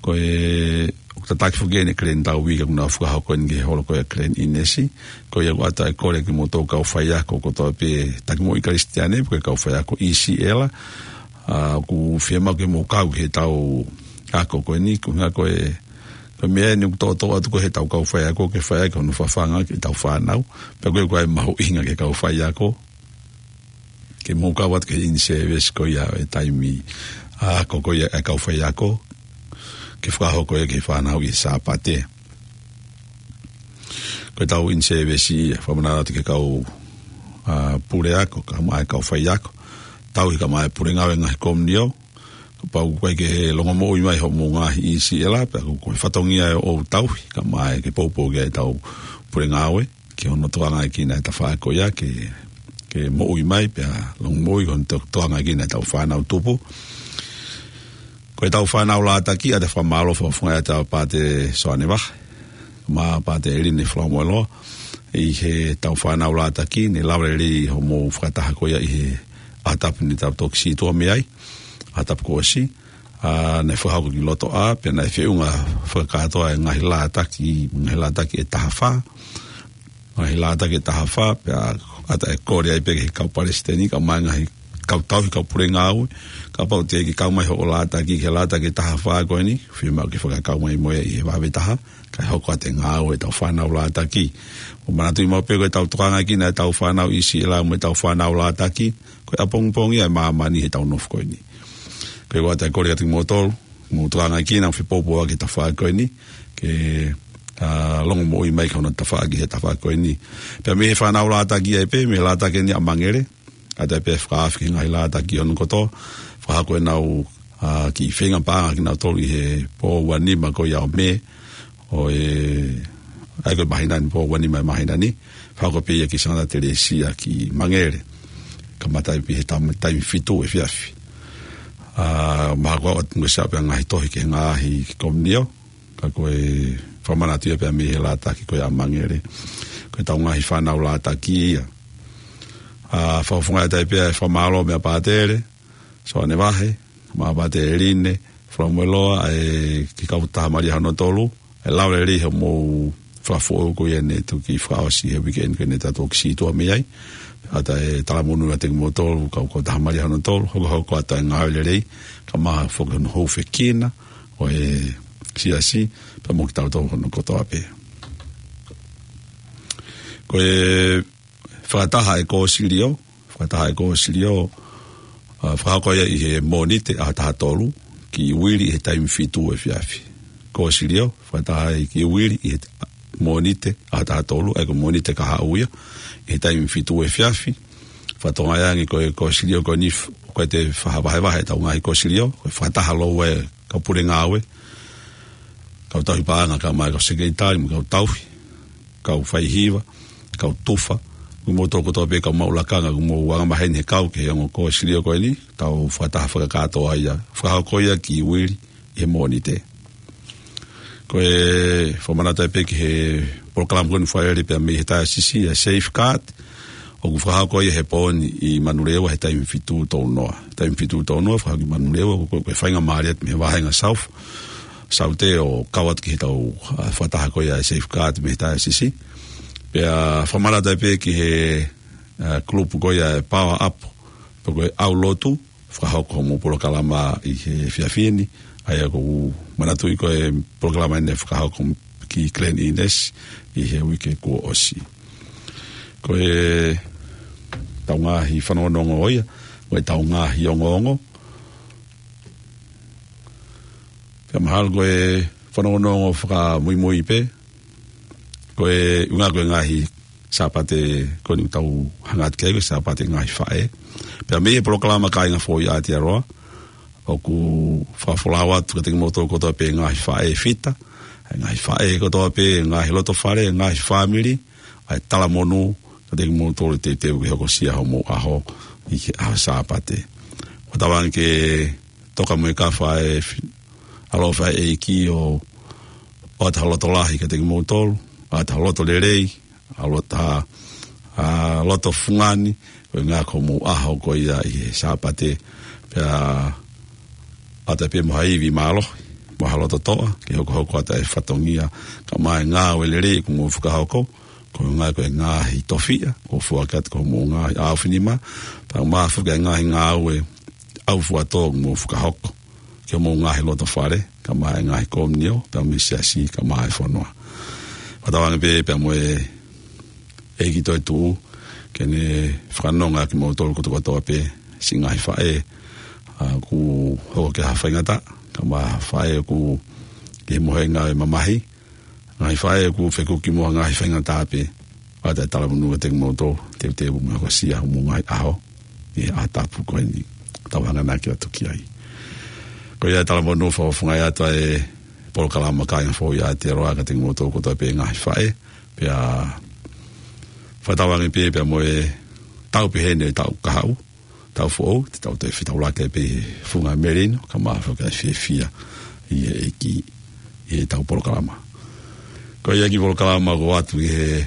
Ko e, ʻoku tataki foki eni e Glen Tauhi ka ʻoku nau fakahoko eni ki he holo ko ē ʻa Glen Innes, ko ia ʻoku ʻatā e kole kimoutolu kau faiako kotoa pē, taki moʻui Kalisitiane, ko e kau faiako ʻIsiʻela, ʻa, ʻoku fiemaʻu ke mou kau ki heʻetau ako ko eni, ko e ʻuhinga ko e, ko e meʻa eni ʻoku toʻotoʻo atu ko ē heʻetau kau faiako, ke fai ai hono fafanga ki heʻetau fānau, pea ko e, ko e mahuʻinga ki he kau faiako, ke mou kau atu ki he in-service ko ia e taimi, ʻa, ako ko ia e kau faiako, ke fakahoko ia ki he fānau ʻi he Sāpate. Ko ʻetau in-service ia, fakamanatu atu ki he kau, ʻa, puleako, kae ʻumaʻā e kau faiako, tauhi kae ʻumaʻā e pule ngāue ngaahi komiunio, kapau ʻoku ʻikai ke longomoʻui mai hoʻomou ngaahi ʻIsiʻela, pea ko e fatongia ʻo e tauhi, kae ʻumaʻā ke poupou ki ai ʻetau pule ngāue, ki hono tokangaekina e tafaʻaki ko ia, ke, ke moʻui mai, pea longomoʻui ki hono to-, tokangaekina ʻetau fānau tupu. Ko ʻetau fānau lātaki, ʻoatu e fakamālō fakafofonga atu kia Pāte Soane Vahe, mo Pāte ʻEline Falamoeloa, ʻi heʻetau fānau lātaki, ne lava lelei hoʻomou fakataha ko ia ʻi he ʻaho tapu ne tau toki sītuʻa mei ai, ʻaho tapu kuo ʻosi, ʻa, naʻe fakahoko ki loto ʻā, pea naʻe feʻunga fakakātoa e ngaahi lātaki, ngaahi lātaki ʻe taha fā, ngaahi lātaki ʻe taha fā, pea ʻoatu e kole ai pē ki he kau palesiteni, kae ʻumaʻā e ngaahi kau tauhi, kau pule ngāue, kapau te ke kau mai hoʻo lātaki ki he lātaki ʻe taha fā ko eni, fiemaʻu ke fakakau mai mo ia ʻi he vave taha, kae hoko atu e ngāue ʻetau fānau lātaki. ʻOku manatuʻi maʻu pē ko ʻetau tokangaʻi ʻetau fānau ʻi Siʻelā mo ʻetau fānau lātaki, ko e ʻapongipongi ia e māmani heʻetau nofo ko eni. Ko ia ʻoatu e kole kiate kimoutolu, mou tokangaʻi, naʻa fepōpō ʻa e tafaʻaki ko eni, ke, ʻa, longomoʻui mai ki hono tafaʻaki he tafaʻaki ko eni. Pea mei he fānau lātaki ai pē, mei he lātaki eni ʻa Mangele, ʻoatu pē e fakaafe ki he ngaahi lātaki hono kotoa, fakahoko ʻenau, ʻa, kiʻi feinga paʻanga kinautolu ʻi he pō ua nima ko ia ʻo Mē, ʻo e, ʻa ia ko e māhina ni, pō ua nima e māhina ni, fakahoko pē ia ki Santa Teresia ki Mangele, kamata pē he tam-, taimi fitu efiafi. ʻA, mahalo ʻoku ʻoatu mo e sio pē ngaahi tohi ki he ngaahi komiunio, ka ko e fakamanatu ia pea mei he lātaki ko ia ʻa Mangele. Ko ʻetau ngaahi fānau lātaki ia. ʻA, fakafofonga atu ai pē e fakamālō meia Pātele Soane Vahe, mo Pāte ʻEline Falamoeloa, ʻa e kiʻi kautaha Malia hono tolu, ʻa e lava lelei hoʻomou fakafoʻou ko ia ne toki fakaʻosi he weekend ko eni ne tau toki sītuʻa mei ai. ʻOatu e talamonū kiate kimoutolu, kau kautaha Malia hono tolu, hokohoko atu e ngāue lelei, kae ʻumaʻā foki hono hūfekina ʻo e siasi, pea mo kitautolu hono kotoa pē. Ko e fakataha e kōsilio, fakataha e kōsilio, ʻa, fakahoko ia ʻi he Mōnite ʻaho taha tolu, ki Uili ʻi he taimi fitu efiafi. Kōsilio, fakataha ia ki Uili ʻi he Mōnite ʻaho taha tolu, ʻa ia ko Mōnite kahaʻu ia, ʻi he taimi fitu efiafi. Fakatokangaʻi ange ko e kōsilio ko eni f-, ʻoku ʻikai te fakavahevahe ʻetau ngaahi kōsilio, ko e fakataha lōua e kau pule ngāue, kau tauhi paʻanga kae ʻumaʻā e kau sekelitali mo e kau tauhi, kau faihiva, kau tufa, mo kimoutolu kotoa pē kau maʻu lakanga, ʻoku mou angamaheni he kau ki he ongo kōsilio ko eni, ʻetau fakataha fakakātoa ia, fakahoko ia ki Uili ʻi he Mōnite. Ko e fakamanatu ai pē ki he polokalama ko eni fai lelei pea mei he taiosisi ʻa e Safeguard, ʻoku fakahoko ia he pō ni ʻi Manurewa he taimi fitu tolu noa. Taimi fitu tolu noa, fakahoko ʻi Manurewa, ko, ko e faingamālie atu mei he vāhenga South, Saute ʻo kau atu ki heʻetau, ʻa, fakataha ko ia e Safeguard mei he taiosisi. Pea fakamanatu ai pē ki he, ʻa, kulupu ko ia e Power Up, pe ko e ʻAulotu, fakahoko hoʻomou polokalama ʻi he efiafi ni, ʻa ia ʻoku ou manatuʻi ko e polokalama eni ne fakahoko ki Glen Innes ʻi he uike kuo ʻosi. Ko ʻetau ngaahi fanongonongo ia, ko ʻetau ngaahi ongoongo. Pea mahalo ko e fanongonongo fakamuimui pē, ko e ʻuhinga ko e ngaahi Sāpate ko eni ʻoku tau hanga atu ki ai ko e Sāpate ngaahi faʻē. Pea mei he polokalama Kāinga Foʻou ʻi Aotearoa, ʻoku fakafolau atu kiate kimoutolu kotoa pē ngaahi faʻē fita, ʻa e ngaahi faʻē kotoa pē, ngaahi loto fale, ngaahi fāmili, ʻa e talamonū kiate kimoutolu teuteu ke hokosia hoʻomou ʻaho ʻi he ʻaho Sāpate. ʻOku tauange ke toka mo e kafa e fi-, ʻaloʻofa ʻa e ʻEiki ʻo ʻoatu ha loto lahi kiate kimoutolu, ʻoatu ha loto lelei, ʻa loto, ʻa, ʻa loto fungani, ko e ʻuhinga ko hoʻomou ʻaho ko ia ʻi he Sāpate, pea ʻoatu pē mo ha ivi mālohi, mo ha loto toʻa, ke hokohoko atu e fatongia, kae ʻumaʻā e ngāue lelei ʻoku mou fakahoko, ko e ʻuhinga ko e ngaahi tofiʻa, ʻoku foaki atu ko hoʻomou ngaahi ʻaofinima, pea ʻumaʻā foki e ngaahi ngāue ʻaufuatō ʻoku mou fakahoko ki hoʻomou ngaahi loto fale, kae ʻumaʻā e ngaahi komiunio, pea mo e siasi, kae ʻumaʻā e fonua. Fakatauange pē, pea mo e ʻEiki toetuʻu, ke ne fakanonga kimoutolu kotoa kotoa pē, siʻi ngaahi faʻē, ʻa, ʻoku hoko ki ha faingataʻa, kae ʻumaʻā faʻē ʻoku ʻi he mohenga e mamahi, ngaahi faʻē ʻoku fekuki mo ha ngaahi faingataʻa pē, ʻoatu e talamonū kiate kimoutolu, teuteu mo hokosia hoʻomou ngaahi ʻaho, ʻi he ʻaho tapu ko eni, tau hanganaki atu ki ai. Ko ia e talamonū fakafofonga atu ʻa e polokalama Kāinga Foʻou ʻi Aotearoa kiate kimoutolu kotoa pē ngaahi faʻē, pea fakatauange pē, pea mo e taʻu pehē ni e taʻu kahaʻu, taʻu foʻou, te tau toe fetaulaki pē he funga melino, kae ʻumaʻā foki ʻa e fiefia ʻi he ʻEiki ʻi heʻetau polokalama. Ko ia ki he polokalama ʻoku ʻoatu ʻi he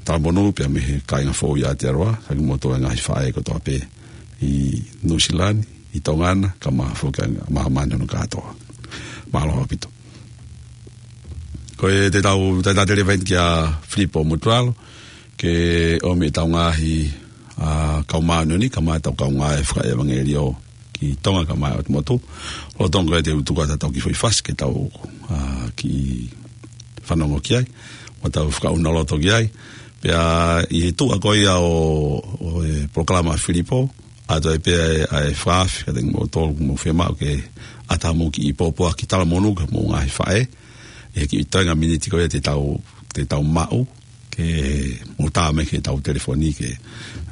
talamonū pea mei he kāinga foʻou ʻi Aotearoa, ka kimoutolu e ngaahi faʻē kotoa pē ʻi Nuʻusila ni, ʻi Tonga na, kae ʻumaʻā foki ʻa māmani hono kātoa. Mālō ʻaupito. Ko ia te tau, te tau talitali atu kia Filipo Motulalo, ke ʻomi ʻetau ngaahi, ʻa, kau māʻoniʻoni, kae ʻumaʻā ʻetau kaungā fakaʻevangeliō ki Tonga kae ʻumaʻā ʻOtu Motu. Lolotonga ko ia te u tuku atu ʻetau kiʻi foʻi fasi ke tau, ʻa, kiʻi fanongo ki ai, mo tau fakaʻunaloto ki ai. Pea ʻi he tuʻa ko ia ʻo, ʻo e polokalama ʻa Filipo, ʻoatu ai pē ʻa e, ʻa e fakaafe kiate kimoutolu ʻoku mou fiemaʻu ke ʻatā mo kiʻi pōpoaki talamonū ki homou ngaahi faʻē, ʻi he kiʻi toenga miniti ko ia te tau, te tau maʻu, ke mou tā mai ki heʻetau telefoni ke,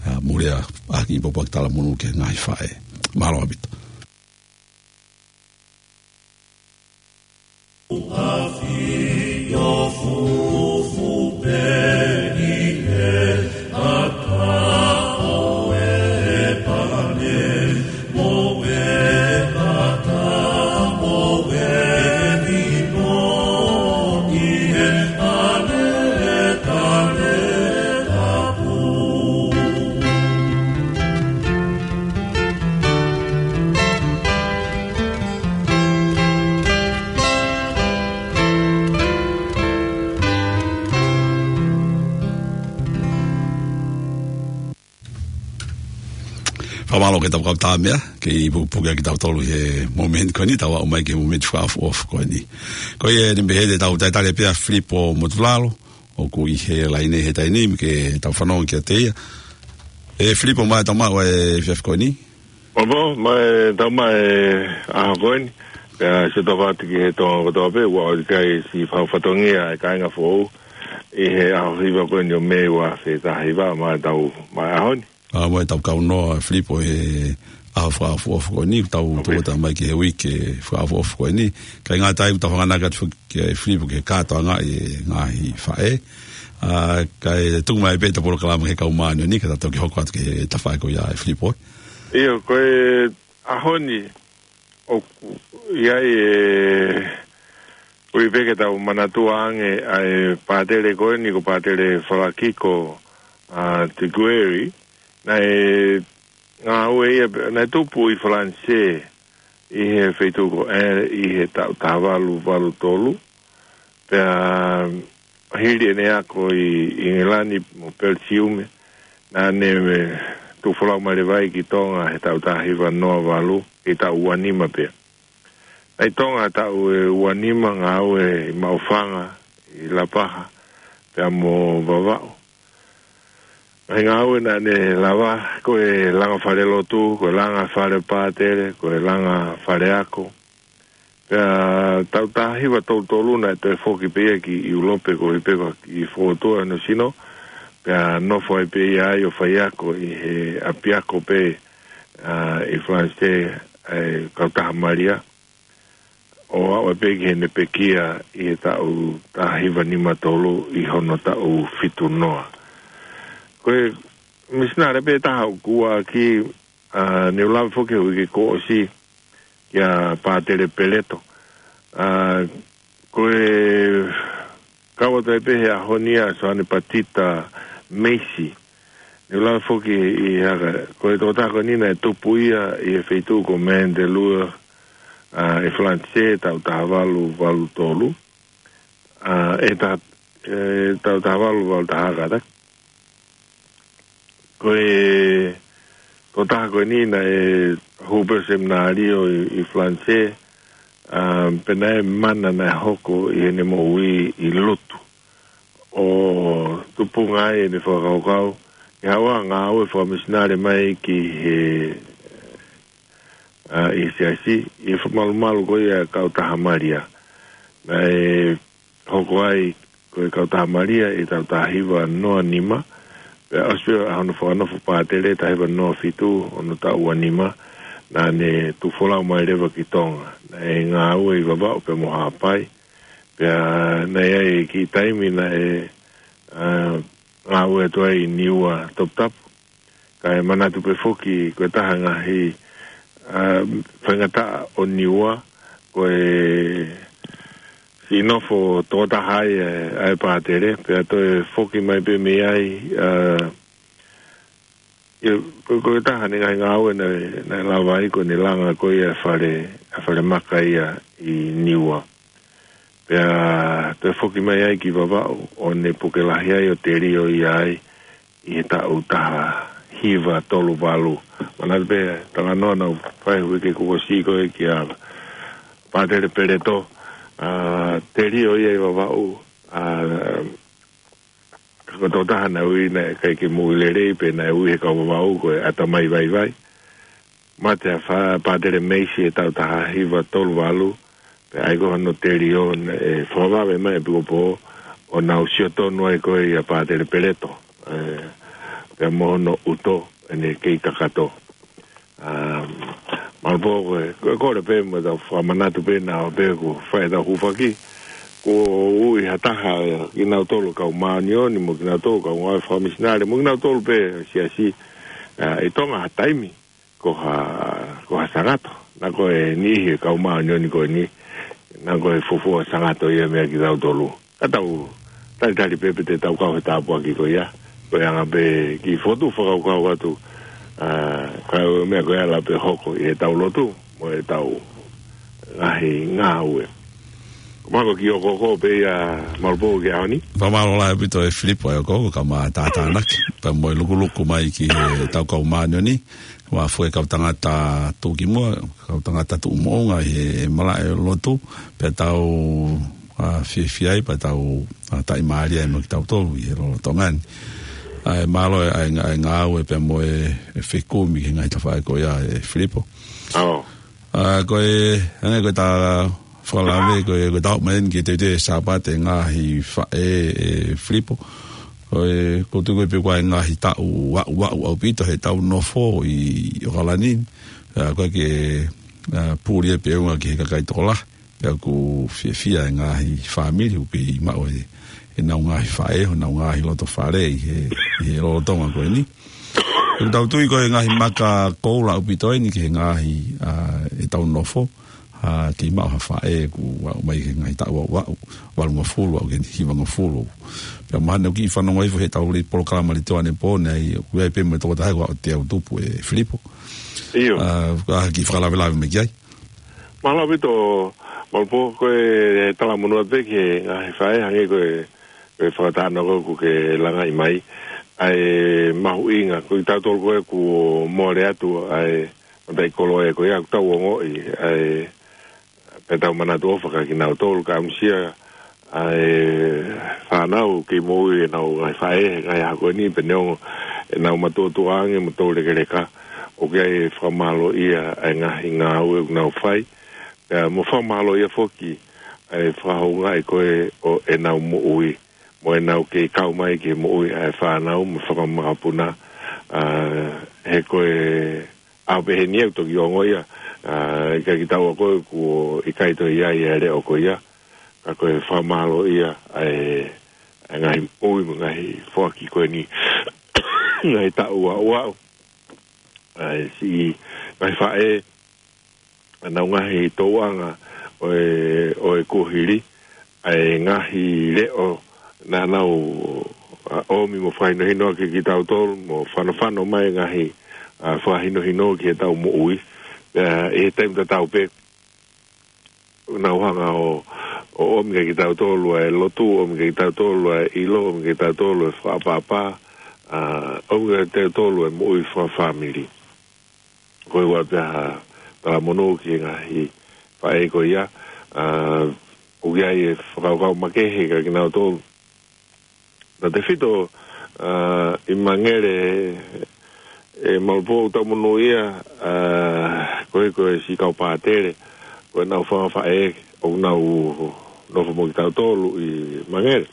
ʻa, mou lea ʻaki e pōpoaki talamonū ki he ngaahi faʻē. Mālō ʻaupito. Fakamālō ki he tau kau tā meʻa, kei pukepuke ʻaki kitautolu he momeniti ko eni, tau aʻu mai ki he momeniti fakaʻofoʻofa ko eni. Ko ia eni pē he te tau talitali pē ʻa Filipo Motulalo, ʻoku ʻi he laine he taimi ni, ke tau fanongo kiate ia. ʻE Filipo, ʻoku mai tau maʻu e efiafi ko eni? ʻOku mau, ʻoku mai tau maʻu e ʻaho ko eni. Pea sio tau atu ki he Tonga kotoa pē, ʻoku ʻikai siʻi fau fatongia e kāinga foʻou ʻi he ʻaho hiva ko eni ʻo Mē ua afe taha hiva, ʻoku mai tau maʻu e ʻaho ni. ʻA, ʻoku mai tau kau noa Filipo he ʻaho fakaʻofoʻofa ko eni, tau tō atu mai ki he uike fakaʻofoʻofa ko eni. Kae ngata ai, ʻoku tau hanganaki atu foki kia Filipo ke kātoangaʻi e ngaahi faʻē. ʻA, kae tuku mai pē ʻetau polokalama ki he kau māʻoniʻoni, ka tau toki hoko atu ki he tafaʻaki ko ia ʻe Filipo. ʻIo, ko e ʻaho ni, ʻoku ʻi ai e, ʻoku ʻi ai pē ke tau manatua ange ʻa e pātele ko eni ko Pātele Falakiko, ʻa, Tikueri, naʻe ngāue ia pē, naʻe tupu ʻi Falanisē, ʻi he feituʻu ko ē, ʻi he taʻu taha valu valu tolu. Pea hili ʻene ako ʻi ʻIngilani mo Pelisiume, naʻa ne tuʻu folau mai leva ai ki Tonga he taʻu taha hiva noa valu, ʻi he taʻu ua nima pē. Naʻe ʻi Tonga he taʻu ʻe ua nima, ngāue ʻi Maʻufanga, ʻi Lapaha, pea mo Vavaʻu. Ngaahi ngāue naʻa ne lava, ko e langa falelotu, ko e langa fale pātele, ko e langa faleako. Pea taʻu taha hiva tolu tolu naʻe toe foki pē ia ki ʻIulope koeʻuhi pē ko e kiʻi fokotuʻu hono sino. Pea nofo ai pē ia ai ʻo faiako ʻi he ʻapiako pē, ʻa, ʻi Falanisē, ʻa e Kautaha Malia. ʻO aʻu ai pē ki heʻene pekia ʻi he taʻu taha hiva nima tolu ʻi hono taʻu fitu noa. Ko e misinale pē taha ʻoku ʻoatu, ʻa, ne u lave foki he uike kuo ʻosi kia Pātele Peleto. ʻA, ko e kau atu ai pē he ʻaho ni ʻa Soane Patita Meisi. Ne u lave foki ʻi he haka, ko e tokotaha ko eni naʻe tupu ia ʻi he feituʻu ko Mandelieu, ʻa, ʻi Falanisē, taʻu taha valu valu tolu. ʻA, ʻe ta-, ʻe taʻu taha valu valu taha kātaki. Ko e tokotaha ko eni naʻe hū pē seminalio ʻi, ʻi Falanisē, ʻa, pea naʻe mana naʻe hoko ʻi heʻene moʻui ʻi Lutu. ʻO tupunga ai ʻene fakakaukau, ʻi haʻu ʻo ngāue fakamisinale mai ki he, ʻa, ʻi he siasi, ʻi he fakamalumalu ko ia ʻa e Kautaha Malia. Naʻe hoko ai ko e Kautaha Malia ʻi he taʻu taha hiva noa nima, pea ʻosi pē ʻa hono fakanofo pātele taha hiva noa fitu, hono taʻu ua nima, naʻa ne tuʻu folau mai leva ki Tonga. Naʻe ngāue ʻi Vavaʻu pea mo Haʻapai, pea naʻe ʻi ai e kiʻi taimi naʻe, ʻa, ngāue atu ai ʻi Niua Toputapu. Kae manatu pē foki ko e taha ngaahi, ā, faingataʻa ʻo Niua, ko e siʻi nofo tokotaha ai, ē, ʻa e pātele, pea toe foki mai pē mei ai, ā, ʻio, ko, ko e taha ʻene ngaahi ngāue naʻe, naʻe lava ai ko ʻene langa ko ia e fale, e fale maka ia ʻi Niua. Pea toe foki mai ai ki Vavaʻu, ʻo ne puke lahi ai ʻo telio ia ai ʻi he taʻu taha hiva tolu valu. Manatu pē, talanoa naʻa ku fai he uike kuo ʻosi ko ē kia Pātele Peleto, ā, telio ia ʻi Vavaʻu, ā, ka ko e tokotaha naʻe ui naʻe ʻikai ke moʻui lelei pē naʻe ui he kau Vavaʻu ko e ʻatamai vaivai. Mate ʻa Fa-, Pātele Meisi he taʻu taha hiva tolu valu, pea ʻai ko hono telio naʻe fakavave mai ʻe Pikopō ʻo nau sio tonu ai ko ē ʻia Pātele Peleto, ē, pea mo hono ʻuto ʻene kei kakato. Ā, Malupō ko e, ko e kole pē mo ʻetau fakamanatu pē naʻa pē ko e fai ʻetau hūfaki, kuo ui ha taha, ē, kinautolu kau māʻoniʻoni, mo kinautolu kau ngāue fakamisinale, mo kinautolu pē siasi, ā, ʻi Tonga ha taimi, ko ha, ko ha sangato. Naʻa ko e niʻihi e kau māʻoniʻoni ko eni, naʻa ko e fuofua sangato ia meia kitautolu. Ka tau talitali pē pe te tau kau he tāpuaki ko ia. Ko e anga pē kiʻi fotu fakakaukau atu, ā, ka ko e meʻa ko ia ʻe lava pē hoko ʻi heʻetau lotu, mo ʻetau ngaahi ngāue. Ko e meʻa ko e kiʻi ʻokoʻoko pē ia Malupō ki he ʻaho ni. Fakamālō lahi ʻaupito ʻe Filipo ʻa e ʻokoʻoko, ka mau tātānaki pea mo e lukuluku mai ki heʻetau kau māʻoniʻoni, ua fue kau tangata tuʻukimuʻa, kau tangata tuʻumoʻunga ʻi he malaʻe lotu, pea tau, ā, fiefia ai, pea tau, ā, taʻimālie ai mo kitautolu ʻi he lolotonga ni. ʻA e mālō ʻa e, ʻa e ngāue pea mo e, e fekumi ki he ngaahi tafaʻaki ko ia ʻe Filipo. ʻAo. Ā, ko e, hangē ko ʻeta fakalave, ko e, ko ʻeta ō mai eni ki he teuteu Sāpate ngaahi faʻē ʻe Filipo. Ko e, ʻoku ou tui ko e pē ko e ngaahi taʻu aʻu, aʻu, aʻu ʻaupito heʻetau nofo ʻi ʻOkalani. Ā, ko e ke, ā, puli pē ʻunga ki he kakai tokolahi. Pea ʻoku fiefia e ngaahi fāmili ʻoku kei maʻu e, ʻenau ngaahi faʻē, honau ngaahi loto fale ʻi he, ʻi he lolotonga ko eni. ʻOku tau tui ko e ngaahi maka koula ʻaupito eni ki he ngaahi, ā, ʻetau nofo, ā, kei maʻu ha faʻē ʻoku aʻu mai ki he ngaahi taʻu aʻu, aʻu, valungofulu, aʻu ki he hivangofulu. Pea mahalo ʻoku kiʻi fanongo hifo heʻetau li-, polokalama Litoane Pō, naʻe ʻi ai pē mo e tokotaha ko ē ʻoku teau tupu ʻe Filipo. ʻIo. Ā, ka kiʻi fakalavelave mai ki ai. Mālō ʻaupito, Malupō, ko e talamonū atu pē ki he ngaahi faʻē, hangē ko e, ko e fakatātā ko ē ʻoku ke langaʻi mai. ʻA e mahuʻinga, ko kitautolu ko ē kuo mole atu ʻa e mataʻikoloa ko ia ʻoku tau ongoʻi, ʻa e, pea tau manatu ʻofa kia kinautolu, ka ʻamusia ʻa e fānau kei moʻui ʻenau ngaahi faʻē, ngaahi ʻaho ko eni, pea neongo ʻenau matuʻotuʻa ange mo toulekeleka, ʻoku ʻi ai e fakamālōʻia ʻa e ngaahi ngāue ʻoku nau fai, pea mo fakamālōʻia foki ʻa e fakahoungaʻi ko ē ʻo ʻenau moʻui, mo ʻenau kei kau mai ki he moʻui ʻa e fānau mo fakamakapuna, ā, he ko e ʻaho pehē ni ʻoku toki ongo ia, ā, ʻikai ke tau ako kuo ʻikai toe ʻi ai e leʻo ko ia, ka ko e fakamālōʻia ʻa e, ʻa e ngaahi moʻui mo e ngaahi foaki ko eni, ngaahi taʻu aʻu, aʻu, ʻa e siʻi ngaahi faʻē, ʻenau ngaahi tōʻonga ʻo e, ʻo e kuohili, ʻa e ngaahi leʻo naʻa nau, ā, ʻomi mo fakahinohino ʻaki kitautolu, mo fanofano mai ngaahi, ā, fakahinohino ki heʻetau moʻui. Ā, ʻi he taimi tatau pē, nau hanga ʻo, ʻo ʻomi kia kitautolu ʻa e lotu, ʻomi kia kitautolu ʻa e ʻilo, ʻomi kia kitautolu ʻa e fakaʻapaʻapa, ā, ʻomi kia kitautolu ʻa e moʻui fakafāmili. Ko e ʻoatu pē ha talamonū ki he ngaahi faʻē ko ia, ā, ʻoku ʻi ai e fakakaukau makehe kia kinautolu. Tautefito, ā, ʻi Mangere, ē, Malupō, ʻoku tau monūʻia, ā, ko e, ko e siʻi kau pātele, ko ʻenau fanga faʻē ʻoku nau nofo mo kitautolu ʻi Mangere.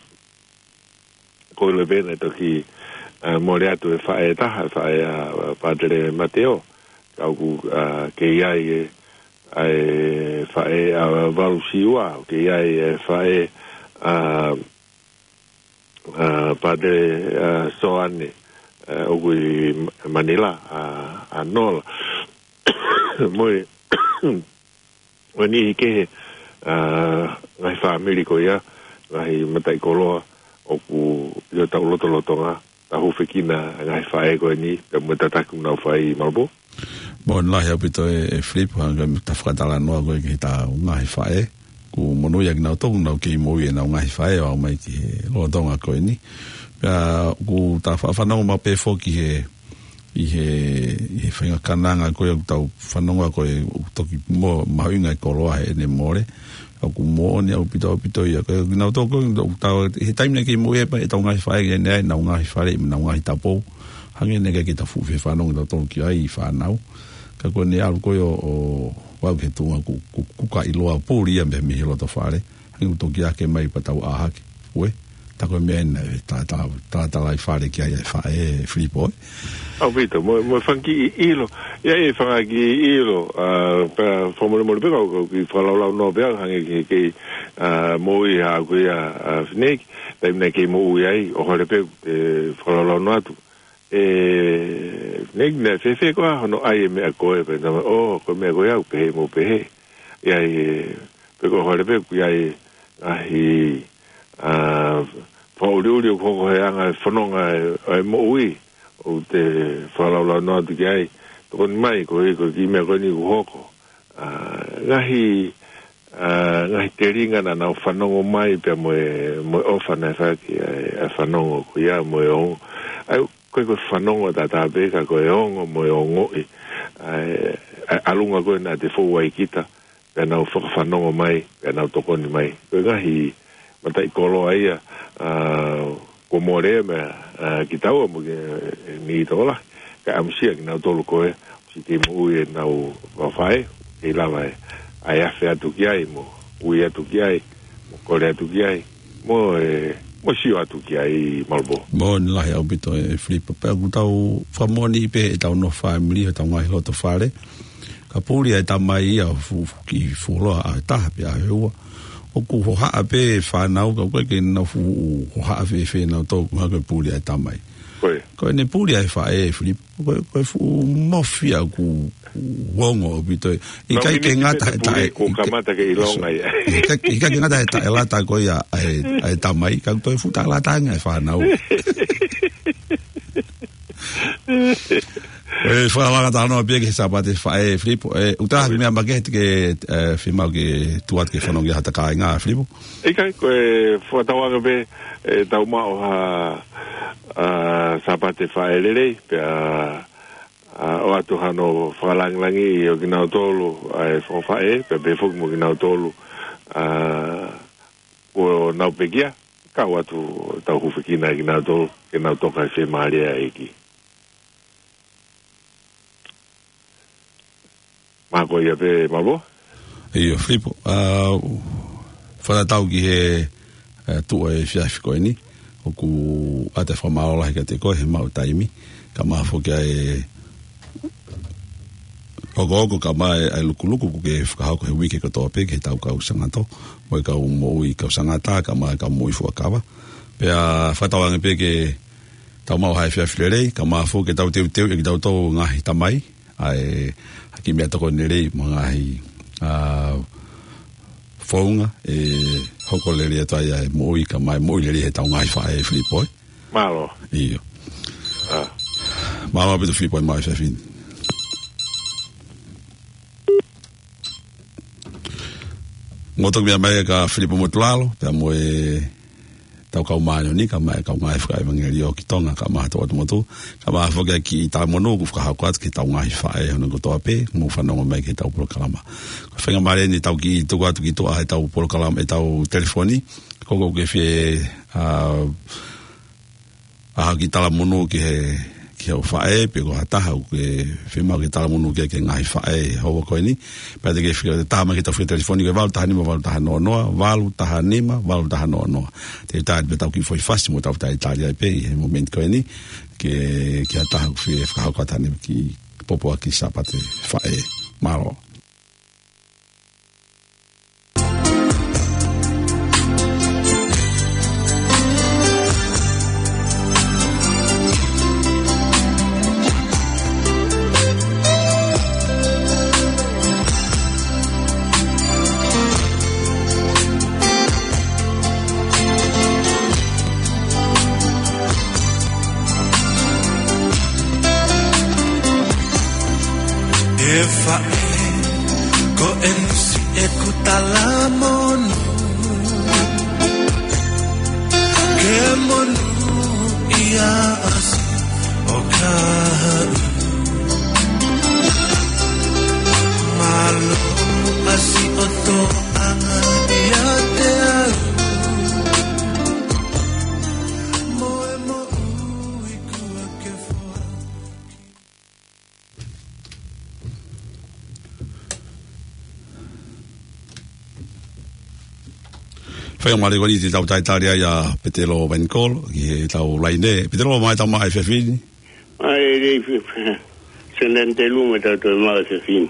Ko e ʻilo pē naʻe toki, ā, mole atu e faʻē ʻe taha, e faʻē ʻa, ā, Pātele Mateo, ka ʻoku, ā, kei ʻi ai e, ʻa e faʻē ʻa Valusiua, kei ʻi ai e faʻē ʻa, ā, Pātele, ā, Soane, ʻa, ʻoku ʻi Manila, ʻa, ʻa Nola. Mo e, ʻo e niʻihi kehe, ʻa, ngaahi fāmili ko ia, ngaahi mataʻikoloa, ʻoku ʻi hotau lotolotonga, tau hūfekina ngaahi faʻē ko eni, pea mo e tataki ʻoku nau fai Malapō. Mālō lahi ʻaupito e, e Filipo, hangē ko e fakatalanoa ko ē ki heʻetau ngaahi faʻē. ʻOku monūʻia kinautolu ʻoku nau kei moʻui ʻenau ngaahi faʻē ʻo aʻu mai ki he lolotonga ko eni. Pea ʻoku ta fa-, fanongo maʻu pē foki he, ʻi he, ʻi he faʻahinga kananga ko ē ʻoku tau fanongo ko ē ʻoku toki mo-, mahuʻinga e koloa heʻene mole. ʻOku moʻoni ʻaupito, ʻaupito ia. Ko e kinautolu ko ē ʻoku tau, he taimi naʻe kei moʻui ai pē ʻetau ngaahi faʻē, ʻi heʻenau ngaahi fale, ʻenau ngaahi tapou. Hangē naʻe ʻikai ke ta fuʻu fie fanongo kitautolu ki ai ʻi fānau. Ka ko ʻene ʻalu ko ē ʻo, ʻo aʻu ki he tuʻunga ʻoku, ʻoku, ʻoku ka ʻiloa puli ia mei, mei he loto fale. Hangē ʻoku toki ake mai pea tau ʻā hake. Ue, tā ko e meʻa ena ʻe ta, ta, ta, ta lai fale ki ai e faʻē, Filipo, ē? ʻAupito, mo, mo e fanga kiʻi ʻilo. ʻI ai e fanga kiʻi ʻilo, ʻa, pea fakamolemole pē kau, kau kiʻi fakalaulaunoa pē au hangē ke, ke, ʻa, moʻui haʻaku ia, ʻa, Fineki, taimi naʻe kei moʻui ai, ʻohovale pē, ʻe fakalaulaunoa atu. ʻE, Fineki, naʻe fēfē koā hono ʻai e meʻa ko ē, pea tama, ʻō, ko e meʻa ko ē ʻoku pehē mo pehē. ʻI ai, ʻe, pe ko e ʻohovale pē, ʻoku ʻi ai, ʻa, ʻi, ʻa, fakaʻuliʻuli ʻoku hoko he anga e fononga e, e moʻui, ʻoku te fakalaulaunoa atu ki ai, tokoni mai, ko e, ko e kiʻi meʻa ko eni ʻoku hoko. ʻA, ngaahi, ʻa, ngaahi telinga naʻa nau fanongo mai pea mo e, mo e ʻofa naʻe fai ki ai, ʻa e fanongo ko ia mo e ongo. ʻA ia, ko e, ko e fanongo tatau pē ka ko e ongo mo e ongoʻi. ʻA e, ʻa e ʻalunga ko ē naʻa te fou ai kita, pea nau fakafanongo mai, pea nau tokoni mai. Ko e ngaahi mataʻikoloa ia, ʻa, kuo mole mei, ʻa, kitaua mo e, ʻe, niʻihi tokolahi. Kae ʻamusia kinautolu ko ē, ʻosi kei moʻui ʻenau faʻē, kei lava ʻe, ʻa e afe atu ki ai, mo ui atu ki ai, mo kole atu ki ai, mo e, mo sio atu ki ai Malapō. Mālō lahi ʻaupito e Filipo. Pea ʻoku tau fakamoʻoni pē ʻetau nofo fāmili, ʻetau ngaahi loto fale. Ka puli ʻa e tamai ia ʻo fu-, fu-, kiʻi fuoloa ʻaho ʻe taha pe ʻaho ʻe ua. ʻOku hohaʻa pē fānau ka ʻoku ʻikai ke nau fuʻu hohaʻa fēfē nautolu, ko e hā ko e puli ʻa e tamai. Ko e. Ko ʻene puli ʻa e faʻē, Filipo, ko e, ko e fuʻu mofi ia ʻoku ongo ʻaupito. ʻIkai ke ngata he taʻe, kuo kamata ke ʻilonga ia. ʻIkai, ʻikai ke ngata he taʻelata ko ia ʻa e, ʻa e tamai, ka ko e fuʻu taʻelata ange ʻa e fānau. ʻE, fakalanga talanoa pē ki he Sāpate Faʻē, Filipo. ʻE, ʻoku ʻi ai ha meʻa makehe te ke, ʻe, fiemaʻu ke tuku atu ke fanongo ki ai hota kāinga, Filipo? ʻIkai, ko e fakatauange pē, ʻe, tau maʻu ha, ʻa, Sāpate Faʻē lelei, pea, ʻa, ʻoatu hano fakalāngilangiʻi ʻo kinautolu, ʻa e fakafaʻē, pea pehē foki mo kinautolu, ʻa, kuo nau pekia, kau atu tau hūfekina kinautolu, ke nau toka he fiemālie ʻa e ʻEiki. Mālō ia pē, Malapō. ʻIo, Filipo, ʻa, fakatatau ki he, ʻa, tuʻu ʻa e efiafi ko eni, ʻoku ʻoatu e fakamālō lahi kiate koe he maʻu taimi, kae ʻumaʻā foki ʻa e hokohoko kae ʻumaʻā ʻa e lukuluku ʻoku ke fakahoko he uike kotoa pē ki heʻetau kau Sangato, mo e kau moʻui kau Sangata, kae ʻumaʻā e kau moʻui fuakava. Pea fakatauange pē ke tau maʻu ha efiafi lelei, kae ʻumaʻā foki ke tau teuteuʻi ʻe kitautolu ngaahi tamai, ʻa e, ha kiʻi meʻatokoni lelei mo e ngaahi, ʻa, founga, ʻe hoko lelei atu ai ʻa e moʻui kae ʻumaʻā e moʻui lelei heʻetau ngaahi faʻē, Filipo, ē? Mālō. ʻIo. ʻA. Mālō ʻaupito Filipo ʻi he maʻu efiafi ni. Mou toki meʻa mai kia Filipo Motulalo, pea mo e tau kau māʻoniʻoni, kae ʻumaʻā e kau ngāue fakaʻevangeliō ki Tonga, kae ʻumaʻā Tongatapu motuʻa, kae ʻumaʻā foki ʻa e kiʻi talamonū ʻoku fakahoko atu ki heʻetau ngaahi faʻē ʻi he ʻaho kotoa pē, mou fanongo mai ki heʻetau polokalama. Ko e faingamālie eni ʻetau kiʻi tuku atu ki tuʻa ʻetau polokalama, ʻetau telefoni, ko ʻoku ke fie, ʻa, ʻa, kiʻi talamonū ki he, ki he faʻē, pe ko ha taha ʻoku ke fiemaʻu ke talamonū ki he, ki he ngaahi faʻē, houa ko eni. Pea te ke fie, taha mai ki heʻetau fika telefoni ko e valu taha nima, valu taha noa noa, valu taha nima, valu taha noa noa. Te u tali pē ʻetau kiʻi foʻi fasi mo tau talitali ai pē ʻi he momenti ko eni, ki he, ki ha taha ʻoku fie fakahoko atu ha kiʻi pōpoaki Sāpate Faʻē. Mālō. E faʻē, ko eni siʻeku talamonū. Ke monūʻia ʻa siʻo kahaʻu. Mālō ʻa siʻoto anga ʻiate au. Mo e moʻui kuo ke foaki. Faingamālie ko eni te tau talitali ai ʻa Petelo Vainikolo ki heʻetau laine. Petelo, mai tama ai fefini. Ai, e, e, e, Senate Luma tau toe mai fefini.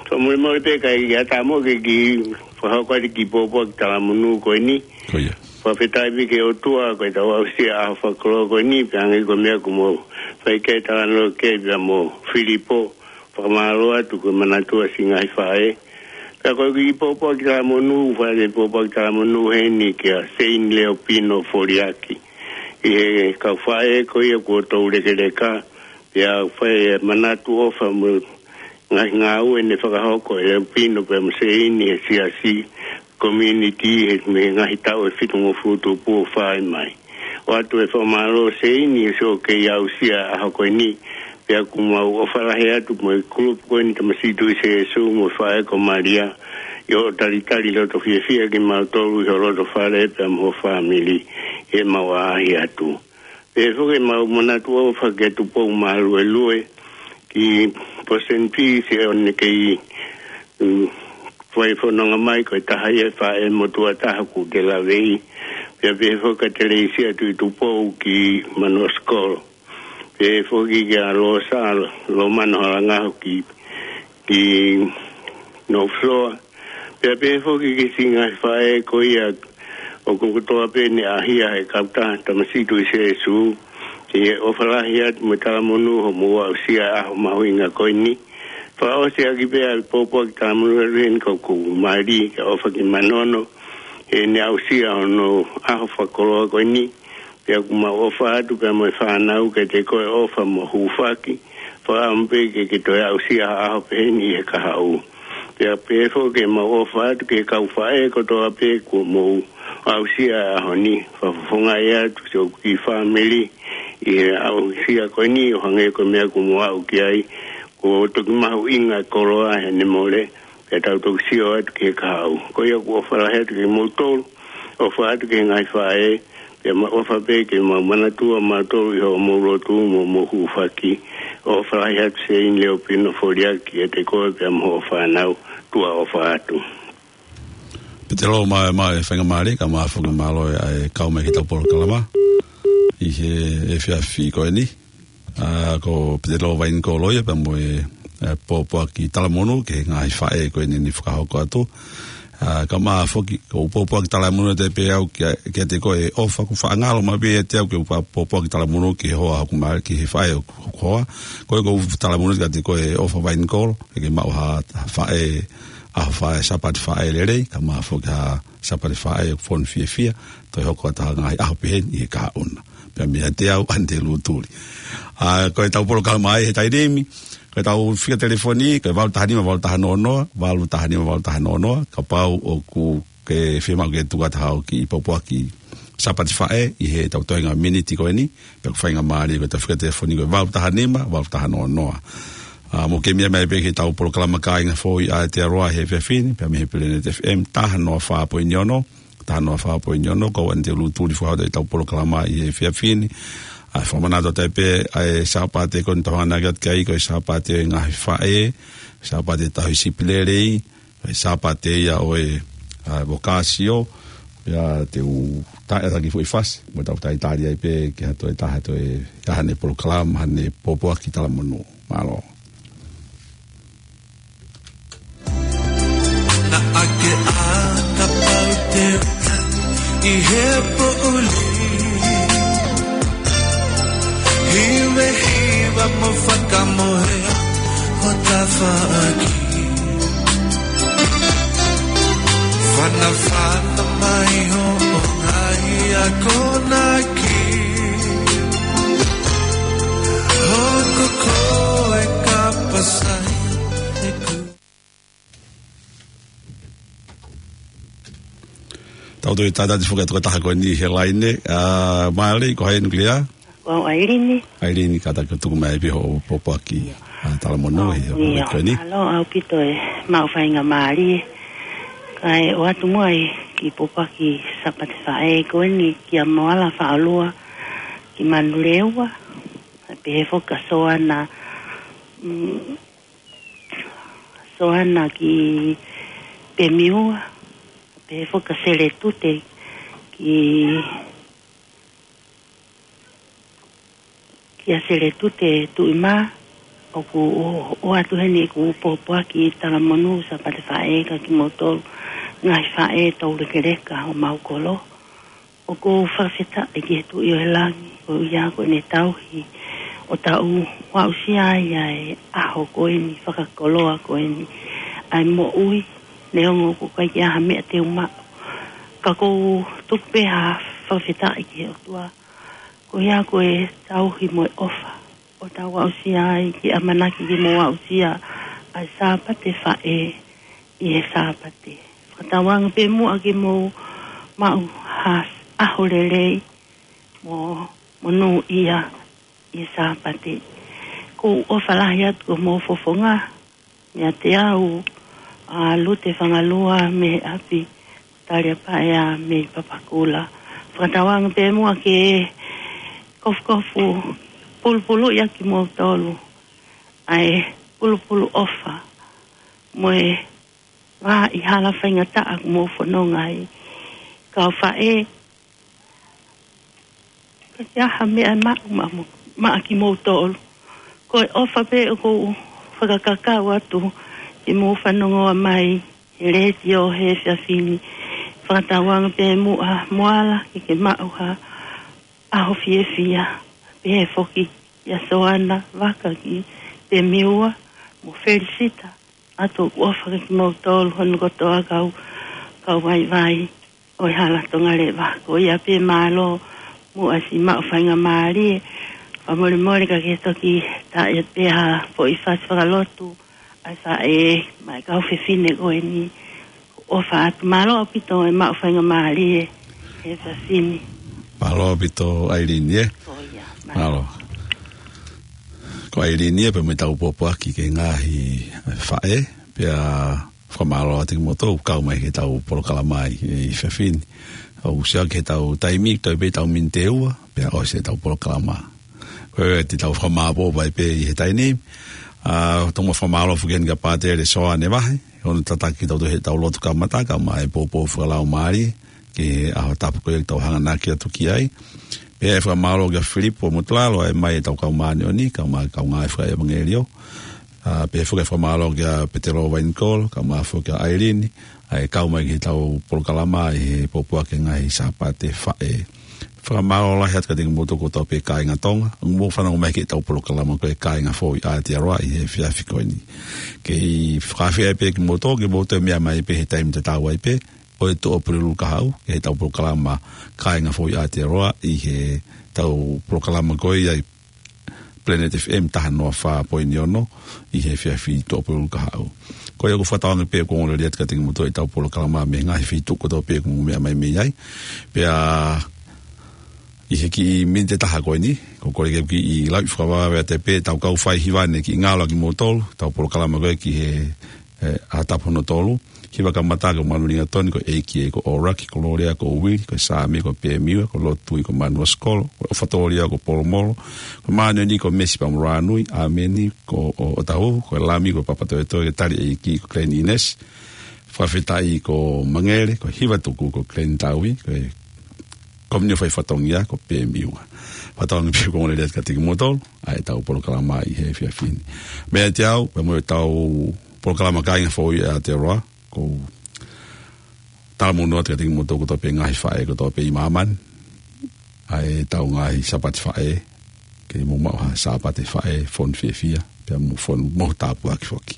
Fakamolemole pē ka ʻi ai ha taumuʻa ke kiʻi fakahoko atu e kiʻi pōpoaki talamonū ko eni. Ko ia. Fakafetaʻi pē ki he ʻOtua ko ʻetau aʻusia ʻaho fakakoloa ko eni, pea hangē ko e meʻa kuo mou fai ki ai e talanoa ki ai pea mo Filipo, fakamālō atu ko e manatua siʻi ngaahi faʻē. Pea ko e kiʻi pōpoaki talamonū, fai e pōpoaki talamonū heni kia Seini Leopino Foliaki. ʻI he kau faʻē ko ia kuo toulekeleka, pea fai e manatu ʻofa mo e ngaahi ngāue ne fakahoko ʻe Leopino pea mo Seini he siasi community he, mei he ngaahi taʻu ʻe fitungofulu tupu ʻo fai mai. ʻOatu e fakamālō Seini he siʻo kei aʻusia e ʻaho ko eni, pea ʻoku mau ʻofa lahi atu mo e kulupu ko eni Tamasiʻi Tuʻi Sēsū mo e faʻē ko Malia, ʻi hoʻo talitali loto fiefia kimautolu ʻi ho loto fale pea mo ho fāmili, ʻi heʻemau ʻaʻahi atu. Pea foki ʻemau manatu ʻofa kia Tupou Maluelue ki Port Saint Vincent, ʻo ne kei, mm, fai fononga mai ko e taha ia e faʻē motuʻa taha kuo ke laveʻi. Pea pehē foki kia Teleisia Tuʻitupou ki Manuasikolo. Pehē foki kia Losa Lomano Halangaho ki, ki North Shore. Pea pehē foki ki he siʻi ngaahi faʻē ko ia ʻoku kotoa pē ne ʻaʻahia ʻe he kautaha Tamasiʻi Tuʻi Sēsū, ke ʻofa lahi atu mo e talamonū hoʻomou aʻusia e ʻaho mahuʻinga ko eni. Fakaʻosi ʻaki pē ʻa e pōpoaki talamonū ʻa Len ko ʻeku mali ke ʻofa ki Manono, heʻene aʻusia hono ʻaho fakakoloa ko eni. Pea ʻoku mau ʻofa atu pea mo e fānau kiate koe, ʻofa mo hūfaki, fakaʻamu pē ke ke toe aʻusia ha ʻaho peheni ʻi he kahaʻu. Pea pehē foki ke mau ʻofa atu ki he kau faʻē kotoa pē kuo mou aʻusia e ʻaho ni, fakafofongaʻi atu siʻoku kiʻi fāmili ʻi he aʻusia ko eni, ʻo hangē ko e meʻa kuo mou aʻu ki ai, kuo toki mahuʻinga e koloa heʻene mole, pea tau toki sio atu ki he kahaʻu. Ko ia ʻoku ʻofa lahi atu kiate kimoutolu, ʻofa atu ki he ngaahi faʻē, pea mau ʻofa pē ke mau manatua mautolu ʻi hoʻomou lotu mo hoʻomou hūfaki. ʻOfa lahi atu Seini Leopino Foliaki kiate koe pea mo hoʻo fānau, tuʻa ʻofa atu. Petelo, mai, mai faingamālie, kae ʻumaʻā foki e mālō ʻa e kau mai ki heʻetau polokalama ʻi he efiafi ko eni. ʻA, ko Petelo Vainikolo ia pea mo e, e, pōpoaki talamonū ki he ngaahi faʻē ko eni ne fakahoko atu. ʻA, kae ʻumaʻā foki, ko e pōpoaki talamonū ʻiate pē au kia, kiate koe, ʻofa, ʻoku faʻa ngalo mai pē ʻiate au ke u pōpoaki talamonū ki he hoa ʻo hoku mali, ki he faʻē ʻo hoku hoa. Ko e, ko e talamonū kiate koe, ʻofa Vainikolo, ke ke maʻu ha, ha faʻē, ʻaho faʻē, Sāpate Faʻē lelei, kae ʻumaʻā foki ha Sāpate Faʻē ʻoku fonu fiefia, toe hoko atu ha ngaahi ʻaho peheni ʻi he kahaʻu na. Pea meiate au, Anite Lutuli. ʻA, ko ʻetau polokalama ʻi he taimi ni, ko ʻetau fika telefoni, ko e valu taha nima, valu taha noa noa, valu taha nima, valu taha noa noa, kapau ʻoku ke fiemaʻu ke tuku atu haʻo kiʻi pōpoaki Sāpate Faʻē ʻi heʻetau toenga miniti ko eni, pea ʻoku faingamālie ko ʻetau fika telefoni ko e valu taha nima, valu taha noa noa. ʻA, mou kei meʻa mai pē ki heʻetau polokalama Kāinga Foʻou ʻi Aotearoa he efiafi ni, pea mei he Planet F M, taha noa fā poini ono, taha noa fā poini ono, ko au Anite Lutuli, fakahoko ʻetau polokalama ʻi he efiafi ni. ʻA, fakamanatu atu ai pē, ʻa e Sāpate ko eni ʻoku tau hanganaki atu ki ai, ko e Sāpate ʻo e ngaahi faʻē, Sāpate tauhi sipi lelei, ʻa e Sāpate ia ʻo e, ʻa, vokāsio, ia te u taʻe taki foʻi fasi, mo tau talitali ai pē ki ha toe taha toe, ia haʻane polokalama, haʻane pōpoaki talamonū. Mālō. Naʻa ke ʻā kapau te u tali ʻi he poʻuli. Hivehiva mo fakamohe ho tafaʻaki. Fanafana mai hoʻo ngaahi akonaki. Hoko koe ka pasa ʻOku toe tatau atu foki e tokotaha ko eni he laine, ʻa Male, ko hai ʻoku lea? Ko au ʻAilini. ʻAilini, kātaki tuku mai pē hoʻo pōpoaki, ʻa, talamonū ʻi he ʻaho ko eni. Mālō ʻaupito e maʻu faingamālie. Kae ʻoatu muʻa e kiʻi pōpoaki Sāpate Faʻē ko eni kia Moala Faʻalua ki Manurewa. Pehē foki kia Soana, mm, Soana ki Pemiua. Pehē foki kia Seletute ki, kia Seletute Tuʻimā, ʻoku ʻo, ʻoatu heni ʻeku pōpoaki talamonū Sāpate Faʻē kia kimoutolu ngaahi faʻē toulekeleka ʻo mau kolo. ʻOku ou fakafetaʻi ki he Tuʻi ʻo e langi, ko ia ko ʻene tauhi ʻo tau aʻusia ai ʻa e ʻaho ko eni, fakakoloa ko eni ʻa e moʻui, neongo ʻoku ʻikai ke ʻi ai ha meʻa te u maʻu. Ka ʻoku ou tuku pē ha fakafetaʻi ki he ʻOtua, ko ia ko e tauhi mo e ʻofa ʻo tau aʻusia ai, ke ʻamanaki ke mau aʻusia ʻa e Sāpate Faʻē ʻi he Sāpate. Fakatauange pē muʻa ke mou maʻu ha ʻaho lelei mo, monūʻia ʻi he Sāpate. ʻOku ou ʻofa lahi atu ki homou fofonga, meiate au, ʻa Lute Fangalua mei he ʻapi Taliapaea mei Papakura. Fakatauange pē muʻa ke kofukofu pulupuluʻi ʻaki kimoutolu ʻa e pulupulu ʻofa mo e vā ʻi hala faingataʻa ʻoku mou fononga ai. Kau faʻē, ʻikai ke ʻi ai ha meʻa maʻu maʻa mo, maʻa kimoutolu. Ko e ʻofa pē ʻoku ou fakakaukau atu ke mou fanongoa mai he letiō he efiafi ni. Fakatauange pē muʻa Moala ke ke maʻu ha ʻaho fiefia. Pehē foki kia Soana Vaka ki Pemiua mo Felisita. ʻOatu ʻoku ou ʻofa ki kimoutolu hono kotoa kau, kau vaivai ʻo e hala Tonga Leva. Ko ia pē, mālō muʻa siʻi maʻu faingamālie. Fakamolemole ka ke toki taʻe pē ha foʻi fasi fakalotu ʻa e faʻē mo e kau fefine ko eni. ʻOfa atu, mālō ʻaupito e maʻu faingamālie he efiafi ni. Mālō ʻaupito ʻAilini, ē? Ko ia, mālō. Mālō. Ko ʻAilini ia pea mo ʻetau pōpoaki ki he ngaahi faʻē, pea fakamālō atu kimoutolu kau mai ki heʻetau polokalama ʻi he efiafi ni. ʻOku ʻosi ʻaki ʻetau taimi, toe pē ʻetau miniti ʻe ua, pea ʻosi ʻetau polokalama. Ko ia te tau fakamālō mai pē ʻi he taimi ni. ʻA, tomuʻa fakamālō foki heni kia Pātele Soane Vahe, hono tataki kitautolu heʻetau lotu kamata, kae ʻumaʻā e poupou fakalaumālie ki he ʻaho tapu ko ia ʻoku tau hanganaki atu ki ai. Pea ʻe fakamālō kia Filipo Motulalo, ʻa e mai ʻetau kau māʻoniʻoni, kae ʻumaʻā e kau ngāue fakaʻevangeliō. ʻA, pea foki ʻe fakamālō kia Petelo Vainikolo, kae ʻumaʻā foki kia ʻAilini, ʻa e kau mai ki heʻetau polokalama ʻi he pōpoaki ngaahi Sāpate Faʻē. Fakamālō lahi atu kiate kimoutolu kotoa pē kāinga Tonga, ʻoku mou fanongo mai ki heʻetau polokalama ko e Kāinga Foʻou ʻi Aotearoa ʻi he efiafi ko eni. Kei fakaafeʻi pē kimoutolu, ke mou toe meʻa mai pē he taimi tatau ai pē, ʻo e Tuʻapulelulu kahaʻu, ki heʻetau polokalama Kāinga Foʻou ʻi Aotearoa, ʻi heʻetau polokalama ko ia ʻi Planet F M taha noa fā poini ono, ʻi he efiafi Tuʻapulelulu kahaʻu. Ko ia ʻoku ou fakatauange pē ʻoku ongoongolelei atu kiate kimoutolu ʻetau polokalama mei he ngaahi feituʻu kotoa pē ʻoku mou meʻa mai mei ai. Pea ʻi he kiʻi miniti ʻe taha ko eni, ʻoku ou kole ke u kiʻi lauʻi fakavavevave atu pē ʻetau kau faihiva ni ke ngalo kimoutolu, ʻetau polokalama ko ē ki he, ē, ʻaho tapu hono tolu. Hiva kamata ko Manulingatoni, ko e ʻEiki ko ʻOlaki, ko Lolea ko Uili, ko Sāmi ko Pēmiua, ko Lotui ko Manuasikolo, ko ʻOfatolia ko Polomolo, ko Māʻoniʻoni ko Mesi Pamulānui, ʻĀmeni ko ʻOtau, ko Lami ko Papatoetoe, ko Tali ʻEiki ko Glenn Ines, Fakafetaʻi ko Mangele, ko Hivatuku ko Glenn Taui, ko e Komini ʻo e Fai Fatongia ko Pēmiua. Fakatauange pē ʻoku ongoongolelei atu kiate kimoutolu ʻa ʻetau polokalama ʻi he efiafi ni. Meiate au, pea mo ʻetau polokalama Kāinga Foʻou ʻi Aotearoa, ʻoku ou talamonū atu kiate kimoutolu kotoa pē ngaahi faʻē kotoa pē ʻi māmani, ʻa ʻetau ngaahi Sāpate Faʻē, ke mou maʻu ha Sāpate Faʻē fonu fiefia, pea mo fonu mo tāpuaki foki.